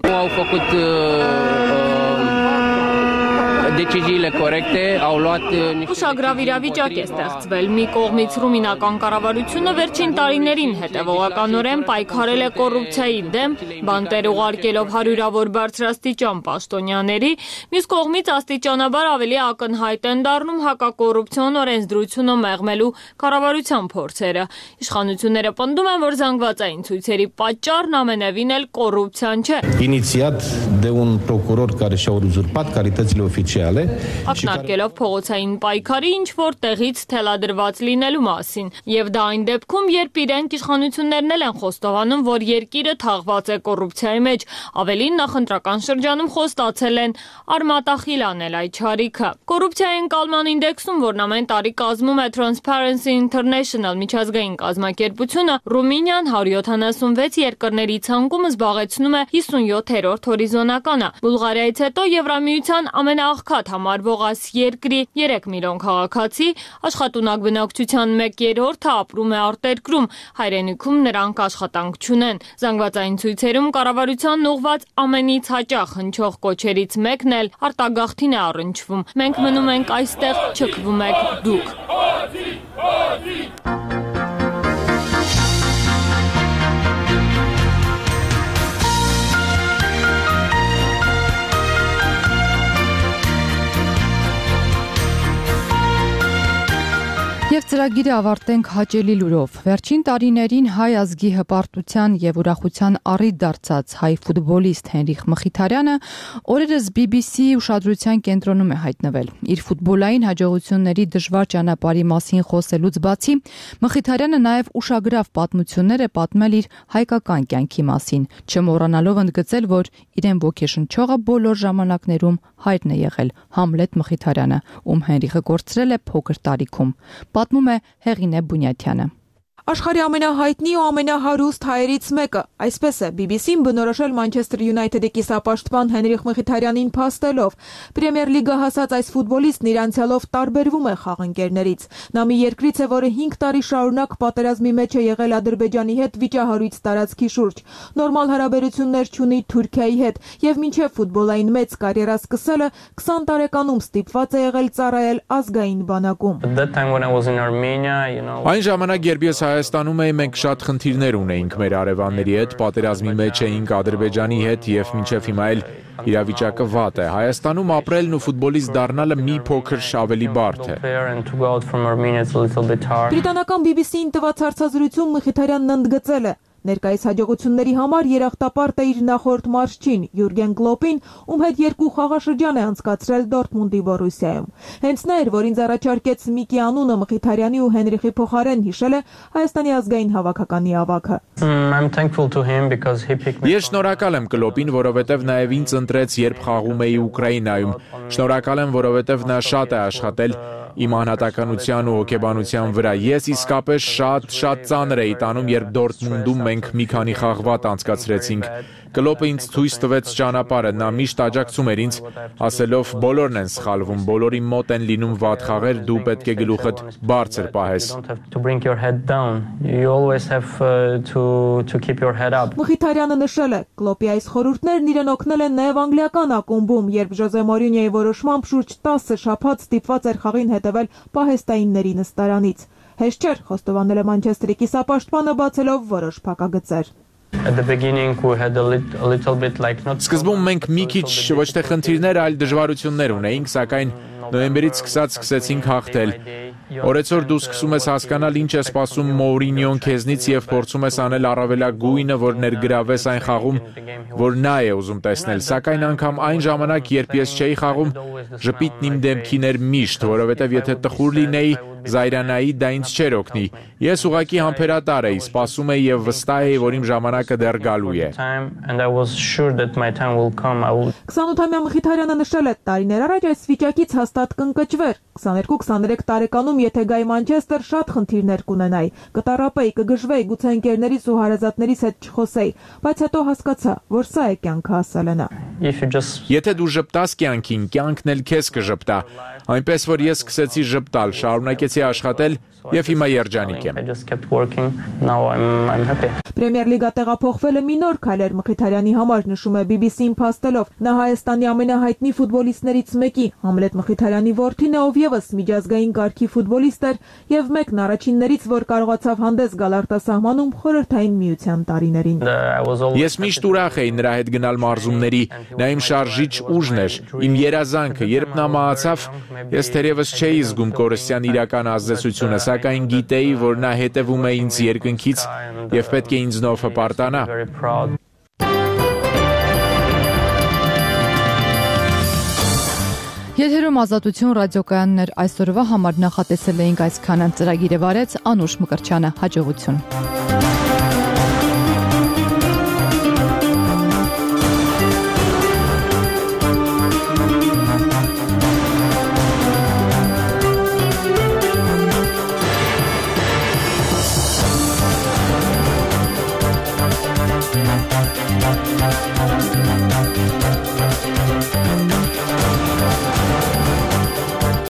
Deciziile corecte au luat niște Ուշագրավ իրավիճակ է ստեղծվել։ Մի կողմից ռումինական կառավարությունը վերջին տարիներին հետևողականորեն պայքարել է կոռուպցիայի դեմ, բանտեր ուղարկելով հարյուրավոր բարձրաստիճան պաշտոնյաների, մյուս կողմից աստիճանաբար ավելի ակնհայտ են դառնում հակակոռուպցիոն օրենսդրությունը մեղմելու կառավարության փորձերը։ Իշխանությունները պնդում են, որ զանգվածային ցույցերի պատճառն ամենևին էլ կոռուպցիան չէ։ Inițiat de un procuror care și-a uzurpat calitățile oficiale. Ակնարկելով փողոցային պայքարի ինչ որ տեղից թելադրված լինելու մասին, եւ դա այն դեպքում, երբ իրենք իշխանություններն են խոստովանում, որ երկիրը թաղված է կոռուպցիայի մեջ, ավելին նախընտրական շրջանում խոստացել են արմատախիլ անել այդ չարիքը։ Կոռուպցիայի ընկալման ինդեքսում, որն ամեն տարի կազմում է Transparency International միջազգային կազմակերպությունը, Ռումինիան հարյուր յոթանասունվեց երկրների ցանկում զբաղեցնում է հիսունյոթերորդ հորիզոնականը։ Բուլղարիայից հետո Եվրամիության ամենաաղքատ համարվող այս երկրի երեք միլիոն քաղաքացի, աշխատունակ բնակչության մեկ երրորդը ապրում է արտերկրում, հայրենիքում նրանք աշխատանք չունեն։ Զանգվածային ցույցերում կառավարությանն ուղղված ամենից հաճախ հնչող կոչերից մեկն էլ արտագաղթին է առնչվում։ Մենք մնում ենք այստեղ, չքվում եք դուք։ Եվ ծրագիրը ավարտենք հաճելի լուրով։ Վերջին տարիներին հայ ազգի հպարտության եւ ուրախության առիթ դարձած հայ ֆուտբոլիստ Հենրիխ Մխիթարյանը օրերս բի բի սի ուշադրության կենտրոնում է հայտնվել։ Իր ֆուտբոլային հաջողությունների դժվար ճանապարհի մասին խոսելուց բացի, Մխիթարյանը նաեւ ուշագրավ պատմություններ է պատմել իր հայկական կյանքի մասին, չմոռանալով ընդգծել, որ իրեն ոգեշնչողը բոլոր ժամանակներում հայրն է եղել Համլետ Մխիթարյանը, ում Հենրիխը կորցրել է փոքր տարիքում։ Պատմում է Հեղինե Բունյաթյանը։ Աշխարհի ամենահայտնի ու ամենահարուստ հայերից մեկը, այսպես է բի բի սին բնորոշել Մանչեսթեր Յունայթեդի կիսապաշտպան Հենրիխ Մխիթարյանին փաստելով։ Պրեմիեր լիգա հասած այս ֆուտբոլիստն իր անցյալով տարբերվում է խաղընկերներից։ Նա մի երկրից է, որը հինգ տարի շարունակ պատերազմի մեջ է եղել Ադրբեջանի հետ վիճահարույց տարածքի շուրջ։ Նորմալ հարաբերություններ չունի Թուրքիայի հետ եւ մինչեւ ֆուտբոլային մեծ կարիերա սկսելը քսան տարեկանում ստիպված է եղել ծառայել ազգային բանակում։ Այն ժամանակ, երբ ես Հայաստանում էի, մենք շատ խնդիրներ ունեինք մեր արևանների հետ, պատերազմի մեջ էինք Ադրբեջանի հետ եւ մինչեւ հիմա էլ իրավիճակը վատ է։ Հայաստանում ապրելն ու ֆուտբոլիստ դառնալը մի փոքր ավելի բարդ է։ Բրիտանական բի բի սիին տված հարցազրույցում Մխիթարյանն ընդգծել է. Ներկայիս հաջողությունների համար երախտապարտ է իր նախորդ մարզչին Յուրգեն Կլոպին, ում հետ երկու խաղաշրջան է անցկացրել Դորտմունդի Բորուսիայում։ Հենց նա էր, որ ինձ առաջարկեց Միկի անունը Մխիթարյանի ու Հենրիխի փոխարեն, հիշել է Հայաստանի ազգային հավաքականի ավագը։ Ես շնորհակալ եմ Կլոպին, որովհետև նաև ինձ ընտրեց, երբ խաղում էի Ուկրաինայում։ Շնորհակալ եմ, որովհետև նա շատ է աշխատել իմ անհատականության ու հոգեբանության վրա։ Ես իսկապես շատ շատ ծանր էի տանում, երբ Դորտմունդում մենք մի քանի խաղ վատ անցկացրեցինք։ Կլոպը ինձ ցույց տվեց ճանապարհը, նա միշտ աջակցում էր ինձ, ասելով բոլորն են սխալվում, բոլորի մոտ են լինում վատ խաղեր, դու պետք է գլուխդ բարձր պահես։ Մխիթարյանը նշել է, Կլոպի այս խորհուրդներն իրեն օգնել են նաև անգլիական ակումբում, երբ Ժոզե Մորինյոյի որոշմամբ շուրջ տասը շաբաթ ստիպված էր խաղին հետևել պահեստայինների նստարանից։ Հեշտ չէր, խոստովանել է Մանչեսթերի կիսապաշտպանը, բացելով որոշ փակագծեր։ Սկզբում մենք մի քիչ ոչ թե խնդիրներ, այլ դժվարություններ ունեինք, սակայն նոյեմբերից սկսած սկսեցինք հաղթել։ Օրեցօր դու սկսում ես հասկանալ ինչ է սպասում Մորինյոն քեզնից եւ փորձում ես անել առավելագույնը, որ ներգրավես այն խաղում, որ նա է ուզում տեսնել, սակայն անգամ այն ժամանակ, երբ ես չէի խաղում, ժպիտն իմ դեմքին էր միշտ, որովհետեւ եթե տխուր լինեի, Զայրանայի դա ինձ չէր օգնի։ Ես ուղղակի համբերատար էի, սպասում էի եւ վստահ էի, որ իմ ժամանակը դեռ գալու է։ քսանութամյա Մխիթարյանը նշել է, տարիներ առաջ այս վիճակից հաստատ կընկճվեր։ քսաներկու քսաներեք տարեկանում եթե գայի Մանչեսթեր շատ խնդիրներ կունենայի, կտարապեի, կգժվեի, գուցե ընկերներից ու հարազատներից հետ չխոսեի, բայց հետո հասկացա, որ սա է կյանքը, ասել է նա։ Եթե դու ժպտաս կյանքին, կյանքն էլ քեզ կժպտա։ Այնպես որ ես սկսեցի ժպտալ, շարունակեցի աշխատել եւ հիմա երջանիկ եմ։ Պրեմիեր լիգա տեղափոխվել է մի նոր քայլեր Մխիթարյանի համար, նշում է բի բի սի-ին փաստելով։ Նա Հայաստանի ամենահայտնի ֆուտբոլիստներից մեկի, Համլետ Մխիթարյանի որդին է, ով եւս միջազգային կարգի ֆուտբոլիստ էր եւ մեկն առաջիններից, որ կարողացավ հանդես գալ արտասահմանում խորհրդային միության տարիներին։ Ես միշտ ուրախ էի նրա հետ գնալ մարզումների, նա իմ շարժիչ ուժն էր, իմ երազանքը, երբ նա մահացավ, ես թերևս չէի զգում կորստյան իրական ազդեցությունը, սակայն գիտեի, որ նա հետևում է ինձ երկնքից եւ պետք է ինձնով հպարտանա։ Եթերում Ազատություն ռադիոկայաններ այսօրվա համար նախատեսել էինք այսքանը։ Ծրագիրը վարեց Անուշ Մկրտչյանը։ Հաջողություն։